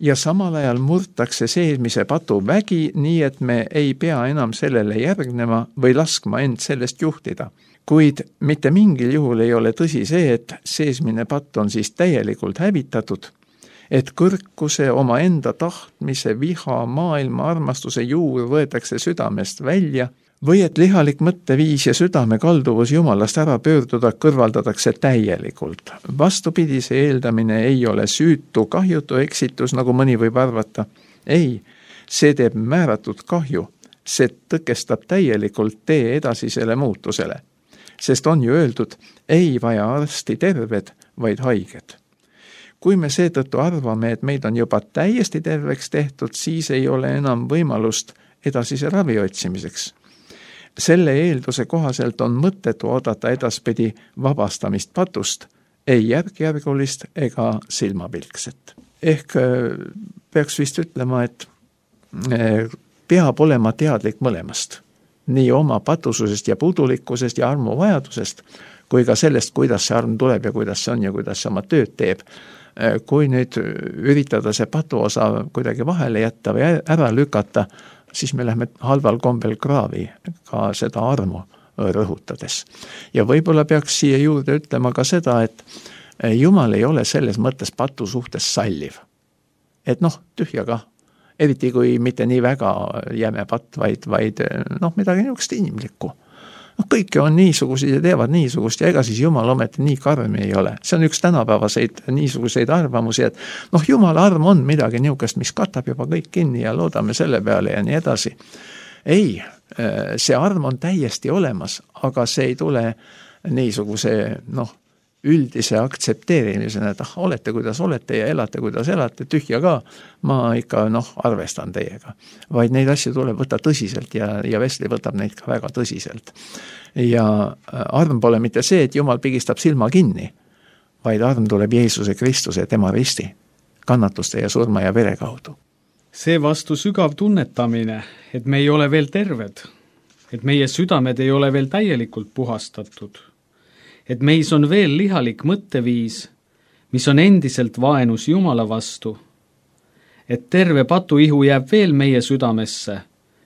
Speaker 5: ja samal ajal murtakse seesmise patu vägi, nii et me ei pea enam sellele järgnema või laskma end sellest juhtida. Kuid mitte mingil juhul ei ole tõsi see, et seesmine patt on siis täielikult hävitatud, et kõrkuse, oma enda tahtmise, viha, maailma armastuse juur võetakse südamest välja või et lihalik mõtteviis ja südame kalduvus Jumalast ära pöörduda kõrvaldatakse täielikult. Vastupidi, see eeldamine ei ole süütu, kahjutu eksitus, nagu mõni võib arvata. Ei, see teeb määratud kahju, see tõkestab täielikult tee edasisele muutusele. Sest on ju öeldud, ei vaja arsti terved, vaid haiged. Kui me seetõttu arvame, et meid on juba täiesti terveks tehtud, siis ei ole enam võimalust edasise ravi otsimiseks. Selle eelduse kohaselt on mõttetu oodata edaspidi vabastamist patust, ei järk-järgulist ega silmapilkset. Ehk peaks vist ütlema, et peab olema teadlik mõlemast. Nii oma patususest ja puudulikkusest ja armu vajadusest, kui ka sellest, kuidas see arm tuleb ja kuidas see on ja kuidas see oma tööd teeb. Kui nüüd üritada see patuosa kuidagi vahele jätta või ära lükata, siis me lähme halval kombel kraavi ka seda armu rõhutades. Ja võib-olla peaks siia juurde ütlema ka seda, et Jumal ei ole selles mõttes patu suhtes salliv. Et noh, tühja kah. Eriti kui mitte nii väga jäme patt, vaid, vaid noh, midagi niisugust inimlikku. No, kõike on niisugused ja teevad niisugust ja ega siis Jumal ometi nii karm ei ole. See on üks tänapäevaseid niisuguseid arvamusi, et noh, Jumala arm on midagi niisugust, mis katab juba kõik kinni ja loodame selle peale ja nii edasi. Ei, see arm on täiesti olemas, aga see ei tule niisuguse noh, üldise aktsepteerimisena, et ah, olete kuidas olete ja elate kuidas elate, tühja ka, ma ikka noh, arvestan teiega. Vaid neid asju tuleb võtta tõsiselt ja, ja Wesley võtab neid ka väga tõsiselt. Ja arm pole mitte see, et Jumal pigistab silma kinni, vaid arm tuleb Jeesuse Kristuse, tema risti, kannatuste ja surma ja vere kaudu.
Speaker 2: See vastu sügav tunnetamine, et me ei ole veel terved, et meie südamed ei ole veel täielikult puhastatud, et meis on veel lihalik mõtteviis, mis on endiselt vaenus Jumala vastu, et terve patuihu jääb veel meie südamesse,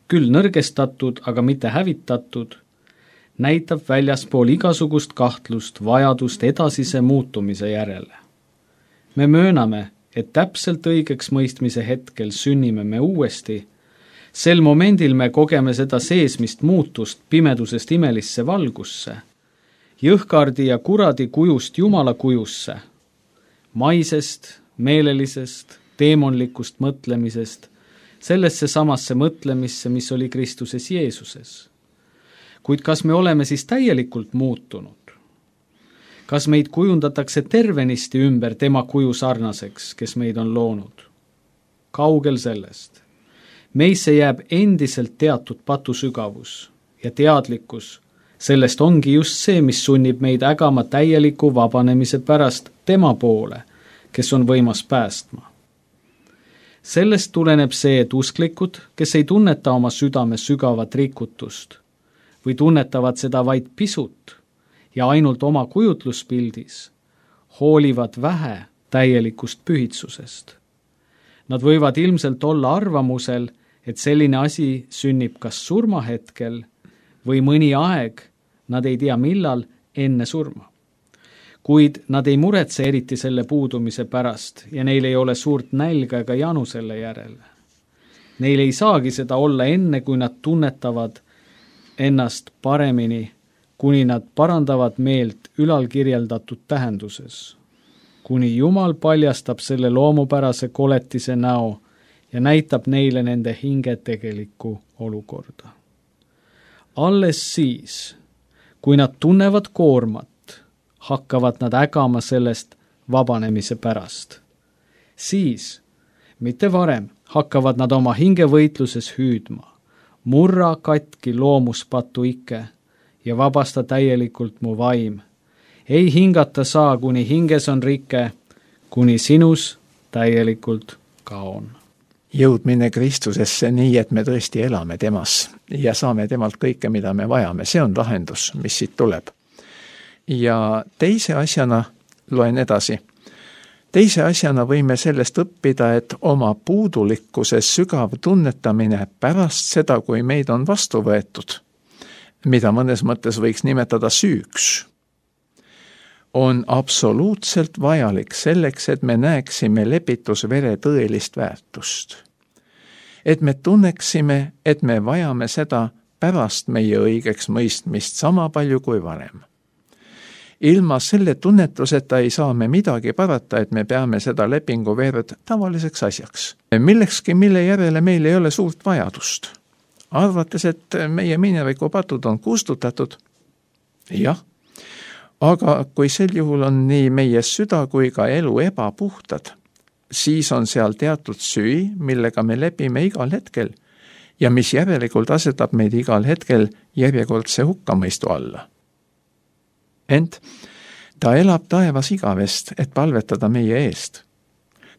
Speaker 2: küll nõrgestatud, aga mitte hävitatud, näitab väljaspool igasugust kahtlust vajadust edasise muutumise järele. Me mööname, et täpselt õigeks mõistmise hetkel sünnime me uuesti, sel momendil me kogeme seda seesmist muutust pimedusest imelisse valgusse, jõhkardi ja kuradi kujust Jumala kujusse, maisest, meelelisest, teemonlikust mõtlemisest, sellesse samasse mõtlemisse, mis oli Kristuses Jeesuses. Kuid kas me oleme siis täielikult muutunud? Kas meid kujundatakse tervenisti ümber tema kuju sarnaseks, kes meid on loonud? Kaugel sellest. Meisse jääb endiselt teatud patusügavus ja teadlikkus. Sellest ongi just see, mis sunnib meid ägama täieliku vabanemise pärast tema poole, kes on võimas päästma. Sellest tuleneb see, et usklikud, kes ei tunneta oma südame sügavat rikutust või tunnetavad seda vaid pisut ja ainult oma kujutluspildis, hoolivad vähe täielikust pühitsusest. Nad võivad ilmselt olla arvamusel, et selline asi sünnib kas surmahetkel või mõni aeg, nad ei tea millal, enne surma. Kuid nad ei muretse eriti selle puudumise pärast ja neil ei ole suurt nälga ega janu selle järele. Neil ei saagi seda olla enne, kui nad tunnetavad ennast paremini, kuni nad parandavad meelt ülalkirjeldatud tähenduses. Kuni Jumal paljastab selle loomupärase koletise näo ja näitab neile nende hinge tegelikku olukorda. Alles siis, kui nad tunnevad koormat, hakkavad nad ägama sellest vabanemise pärast. Siis, mitte varem, hakkavad nad oma hingevõitluses hüüdma, murra katki loomuspatu ikke ja vabasta täielikult mu vaim. Ei hingata saa, kuni hinges on rike, kuni sinus täielikult kaon.
Speaker 5: Jõudmine Kristusesse nii, et me tõesti elame temas ja saame temalt kõike, mida me vajame. See on lahendus, mis siit tuleb. Ja teise asjana loen edasi. teise asjana võime sellest õppida, et oma puudulikkuse sügav tunnetamine pärast seda, kui meid on vastu võetud, mida mõnes mõttes võiks nimetada süüks, on absoluutselt vajalik selleks, et me näeksime lepitusvere tõelist väärtust. Et me tunneksime, et me vajame seda pärast meie õigeks mõistmist sama palju kui varem. Ilma selle tunnetuseta ei saa me midagi parata, et me peame seda lepinguverd tavaliseks asjaks. Millekski, mille järele meil ei ole suurt vajadust. Arvates, et meie minevikupatud on kustutatud, jah, aga kui sel juhul on nii meie süda kui ka elu ebapuhtad, siis on seal teatud süü, millega me lepime igal hetkel ja mis järelikult asetab meid igal hetkel järjekordse hukkamõistu alla. Ent ta elab taevas igavest, et palvetada meie eest.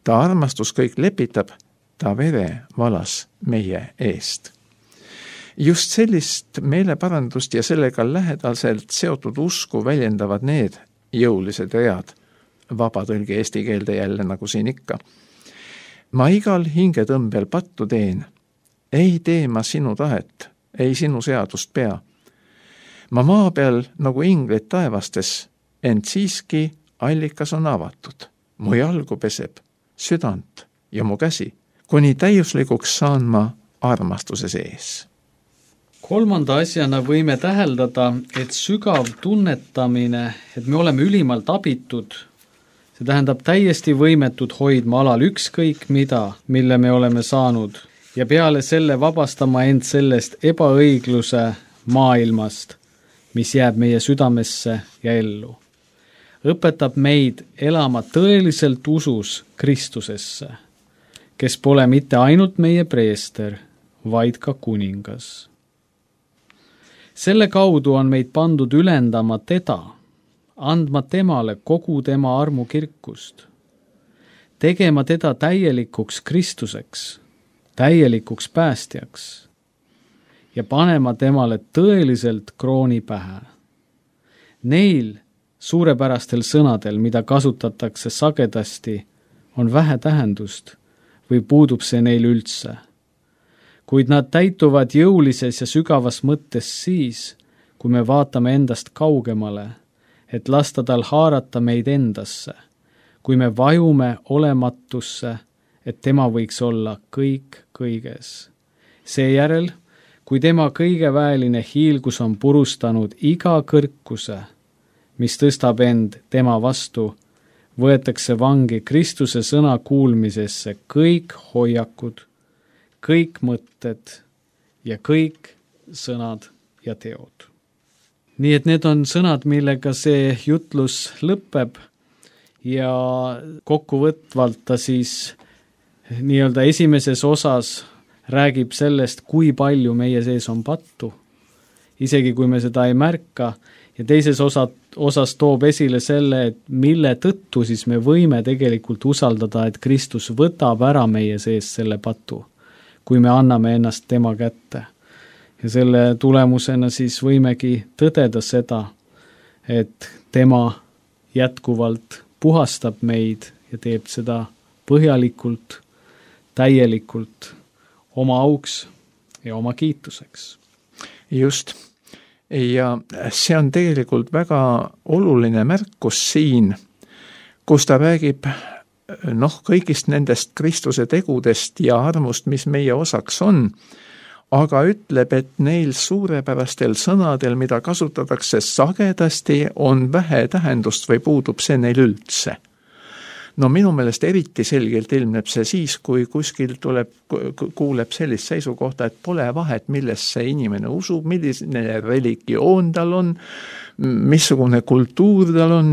Speaker 5: Ta armastus kõik lepitab, ta vere valas meie eest. Just sellist meeleparandust ja sellega lähedaselt seotud usku väljendavad need jõulised read, vabatõlge eesti keelde jälle nagu siin ikka. Ma igal hingetõmbel pattu teen, ei tee ma sinu tahet, ei sinu seadust pea. Ma maa peal nagu inglid taevastes, ent siiski allikas on avatud. Mu jalgu peseb, südant ja mu käsi, kuni täiuslikuks saan ma armastuse sees.
Speaker 2: Kolmanda asjana võime täheldada, et sügav tunnetamine, et me oleme ülimalt abitud, see tähendab täiesti võimetud hoidma alal ükskõik mida, mille me oleme saanud, ja peale selle vabastama end sellest ebaõigluse maailmast, mis jääb meie südamesse ja ellu. Õpetab meid elama tõeliselt usus Kristusesse, kes pole mitte ainult meie preester, vaid ka kuningas. Selle kaudu on meid pandud ülendama teda, andma temale kogu tema armu kirkust, tegema teda täielikuks Kristuseks, täielikuks päästjaks ja panema temale tõeliselt krooni pähe. Neil suurepärastel sõnadel, mida kasutatakse sagedasti, on vähe tähendust või puudub see neil üldse. Kuid nad täituvad jõulises ja sügavas mõttes siis, kui me vaatame endast kaugemale, et lasta tal haarata meid endasse, kui me vajume olematusse, et tema võiks olla kõik kõiges. Seejärel, kui tema kõigeväeline hiilgus on purustanud iga kõrkuse, mis tõstab end tema vastu, võetakse vangi Kristuse sõna kuulmisesse kõik hoiakud, kõik mõtted ja kõik sõnad ja teod. Nii et need on sõnad, millega see jutlus lõpeb ja kokkuvõtvalt ta siis nii-öelda esimeses osas räägib sellest, kui palju meie sees on pattu, isegi kui me seda ei märka, ja teises osa, osas toob esile selle, et mille tõttu siis me võime tegelikult usaldada, et Kristus võtab ära meie sees selle patu, kui me anname ennast tema kätte. Ja selle tulemusena siis võimegi tõdeda seda, et tema jätkuvalt puhastab meid ja teeb seda põhjalikult, täielikult, oma auks ja oma kiituseks.
Speaker 5: Just. Ja see on tegelikult väga oluline märkus siin, kus ta räägib noh, kõigist nendest Kristuse tegudest ja armust, mis meie osaks on, aga ütleb, et neil suurepärastel sõnadel, mida kasutatakse sagedasti, on vähe tähendust või puudub see neil üldse. No minu meelest eriti selgelt ilmneb see siis, kui kuskil tuleb, kuuleb sellist seisukohta, et pole vahet, millest see inimene usub, milline religioon tal on, missugune kultuur tal on,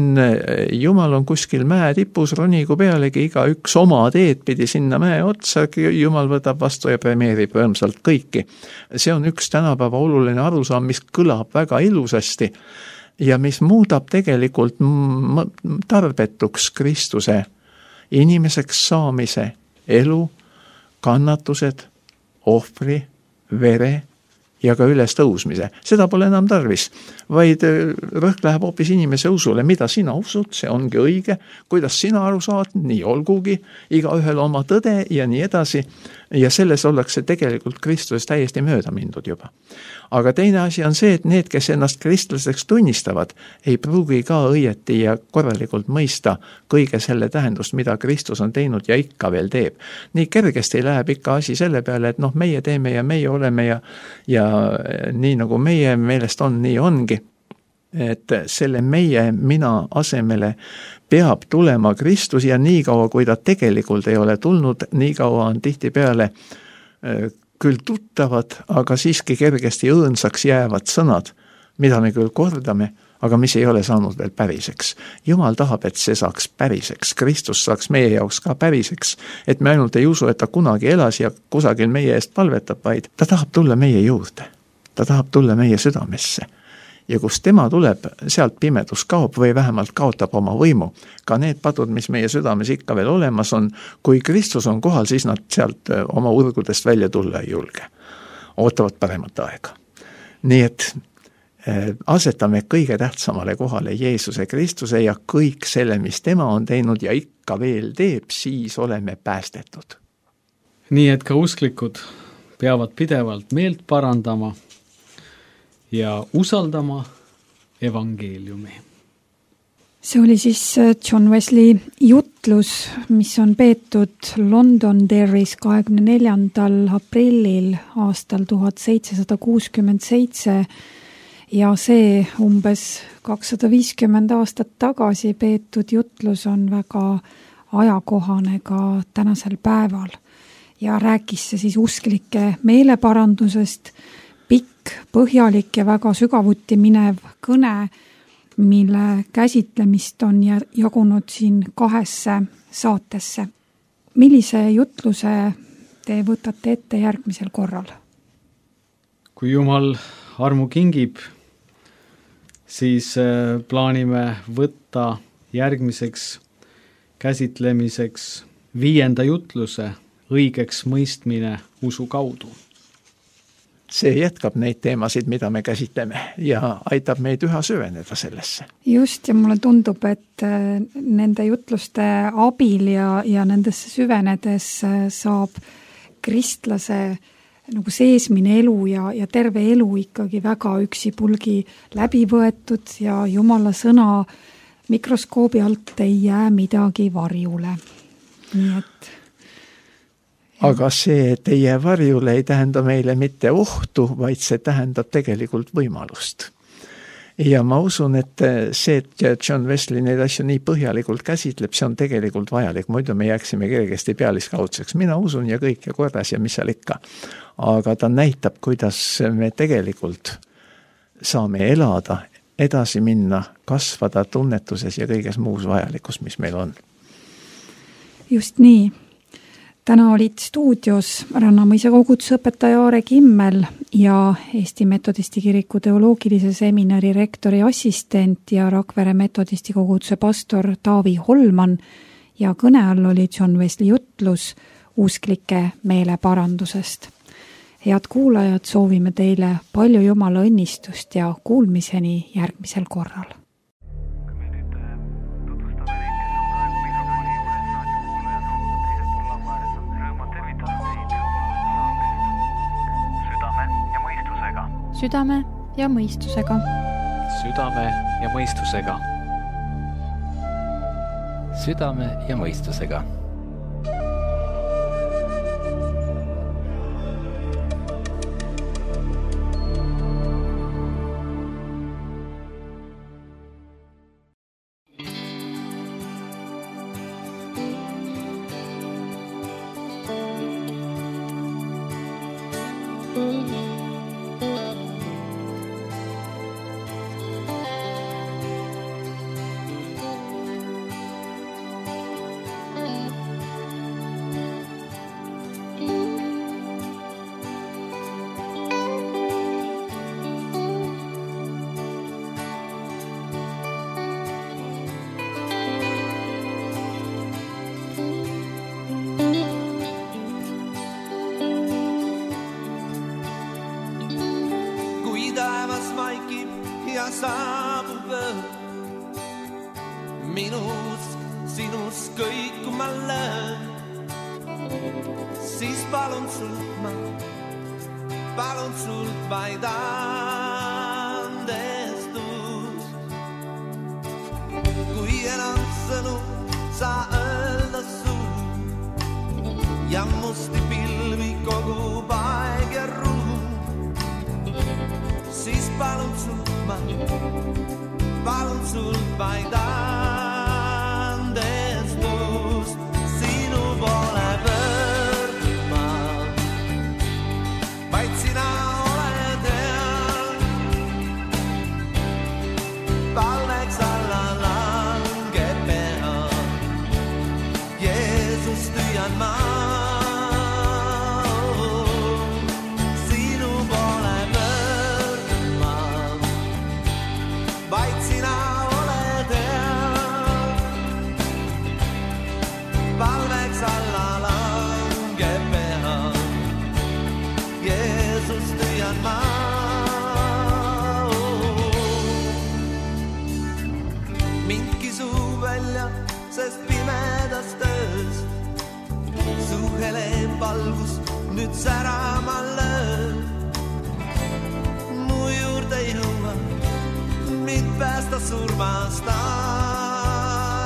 Speaker 5: Jumal on kuskil mäe tipus, ronigu pealegi iga üks oma teed pidi sinna mäe otsa, Jumal võtab vastu ja premeerib rõõmsalt kõiki. See on üks tänapäeva oluline arusaam, mis kõlab väga ilusasti ja mis muudab tegelikult tarbetuks Kristuse inimeseks saamise elu, kannatused, ohvri, vere, ja ka üles tõusmise. Seda pole enam tarvis, vaid rõhk läheb hoopis inimese usule, mida sina usud, see ongi õige, kuidas sina aru saad, nii olgugi, igaühel oma tõde ja nii edasi, ja selles ollakse tegelikult Kristusest täiesti mööda mindud juba. Aga teine asi on see, et need, kes ennast kristlaseks tunnistavad, ei pruugi ka õieti ja korralikult mõista kõige selle tähendust, mida Kristus on teinud ja ikka veel teeb. Nii kergesti läheb ikka asi selle peale, et noh, meie teeme ja meie oleme ja, ja nii nagu meie meelest on, nii ongi. Et selle meie mina asemele peab tulema Kristus ja nii kaua, kui ta tegelikult ei ole tulnud, nii kaua on tihti peale küll tuttavad, aga siiski kergesti õõnsaks jäävad sõnad, mida me küll kordame, aga mis ei ole saanud veel päriseks. Jumal tahab, et see saaks päriseks, Kristus saaks meie jaoks ka päriseks, et me ainult ei usu, et ta kunagi elas ja kusagil meie eest palvetab, vaid ta tahab tulla meie juurde, ta tahab tulla meie südamesse. Ja kus tema tuleb, sealt pimedus kaob või vähemalt kaotab oma võimu. Ka need padud, mis meie südames ikka veel olemas on, kui Kristus on kohal, siis nad sealt oma urgudest välja tulla ei julge. Ootavad paremat aega. Nii et asetame kõige tähtsamale kohale Jeesuse Kristuse ja kõik selle, mis tema on teinud ja ikka veel teeb, siis oleme päästetud.
Speaker 2: Nii et ka usklikud peavad pidevalt meelt parandama ja usaldama evangeeliumi.
Speaker 4: See oli siis John Wesley jutlus, mis on peetud Londonderrys kahekümne neljandal aprillil aastal tuhat seitsesada kuuskümmend seitse ja see umbes kakssada viiskümmend aastat tagasi peetud jutlus on väga ajakohane ka tänasel päeval ja rääkis see siis usklike meeleparandusest, pikk, põhjalik ja väga sügavuti minev kõne, mille käsitlemist on jagunud siin kahesse saatesse. Millise jutluse te võtate ette järgmisel korral?
Speaker 2: Kui Jumal armu kingib, siis plaanime võtta järgmiseks käsitlemiseks viienda jutluse õigeks mõistmine usu kaudu.
Speaker 5: See jätkab neid teemasid, mida me käsitleme ja aitab meid üha süveneda sellesse.
Speaker 4: Just, ja mulle tundub, et nende jutluste abil ja, ja nendesse süvenedes saab kristlase nagu seesmine elu ja, ja terve elu ikkagi väga üksipulgi läbi võetud ja Jumala sõna mikroskoobi alt ei jää midagi varjule. Nii et
Speaker 5: aga see, et ei jää varjule, ei tähenda meile mitte ohtu, vaid see tähendab tegelikult võimalust. Ja ma usun, et see, et John Wesley neid asju nii põhjalikult käsitleb, see on tegelikult vajalik. Muidu me jääksime kergesti pealiskaudseks. Mina usun ja kõik ja korras ja mis seal ikka. Aga ta näitab, kuidas me tegelikult saame elada, edasi minna, kasvada tunnetuses ja kõiges muus vajalikus, mis meil on.
Speaker 4: Just nii. Täna olid stuudios Rannamõisa koguduse õpetaja Aare Kimmel ja Eesti Metodisti kiriku teoloogilise seminari rektori assistent ja Rakvere Metodisti koguduse pastor Taavi Holman ja kõne all oli John Wesley jutlus usklike meeleparandusest. Head kuulajad, soovime teile palju Jumala õnnistust ja kuulmiseni järgmisel korral.
Speaker 1: Südame ja mõistusega.
Speaker 3: Südame ja mõistusega. Südame ja mõistusega.
Speaker 6: taevas vaikib ja saabub öö. Minus, sinus kõik kui ma löön. Siis palun sult ma, palun sult vaid andestust. Kui enam sõnu saa öelda suu ja musti pilvi kogub aeg ja ruum, siis palun sult ma, palun sult vaid andestust. Sinu poole pöörduma, vaid sina oled hea. Palveks alla langeb pea, Jeesus tüüan ma. Sinu poole pöörduma, vaid sina oled hea. Palveks alla langeb pea, Jeesus tüüan ma. Mind kisub välja, sest pimedas töös su hele valgus nüüd särama lööb. Mu juurde jõua, mind päästa surmast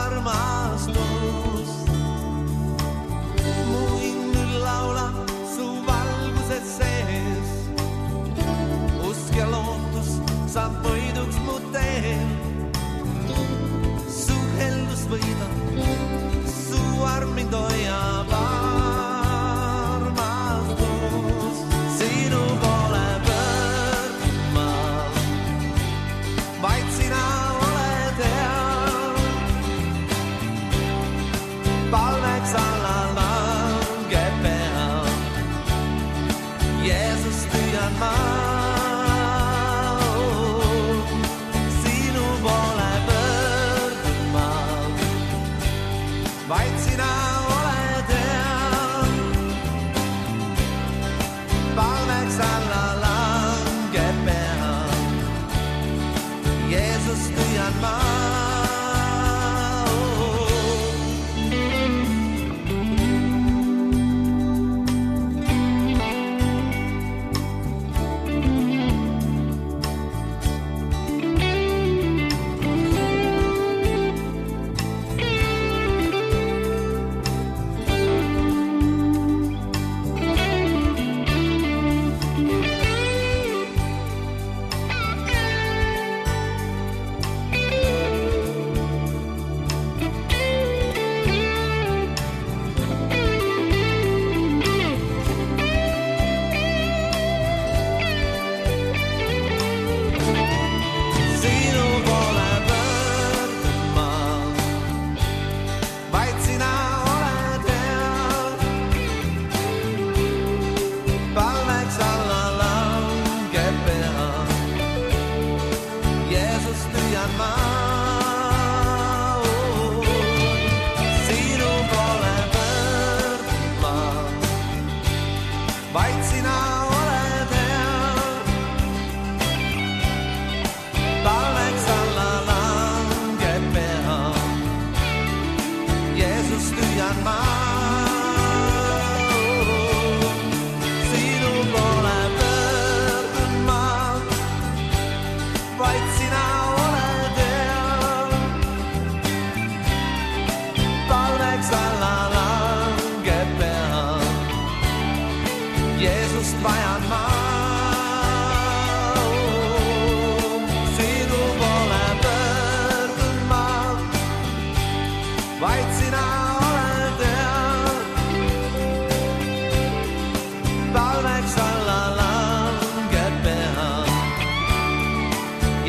Speaker 6: armastus. Mu hing nüüd laulab su valguses sees. Usk ja lootus saab võiduks mu teel. Su heldus võidab, su arm mind hoiab armastus. Sinu poole pöörduma, vaid sina oled hea. Palveks alla langeb pea, Jeesus tüüan ma. Sinu poole pöörduma, vaid sina oled hea. Palveks alla langeb pea, Jeesus tüüan ma.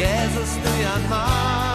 Speaker 6: Jeesus tüüan ma.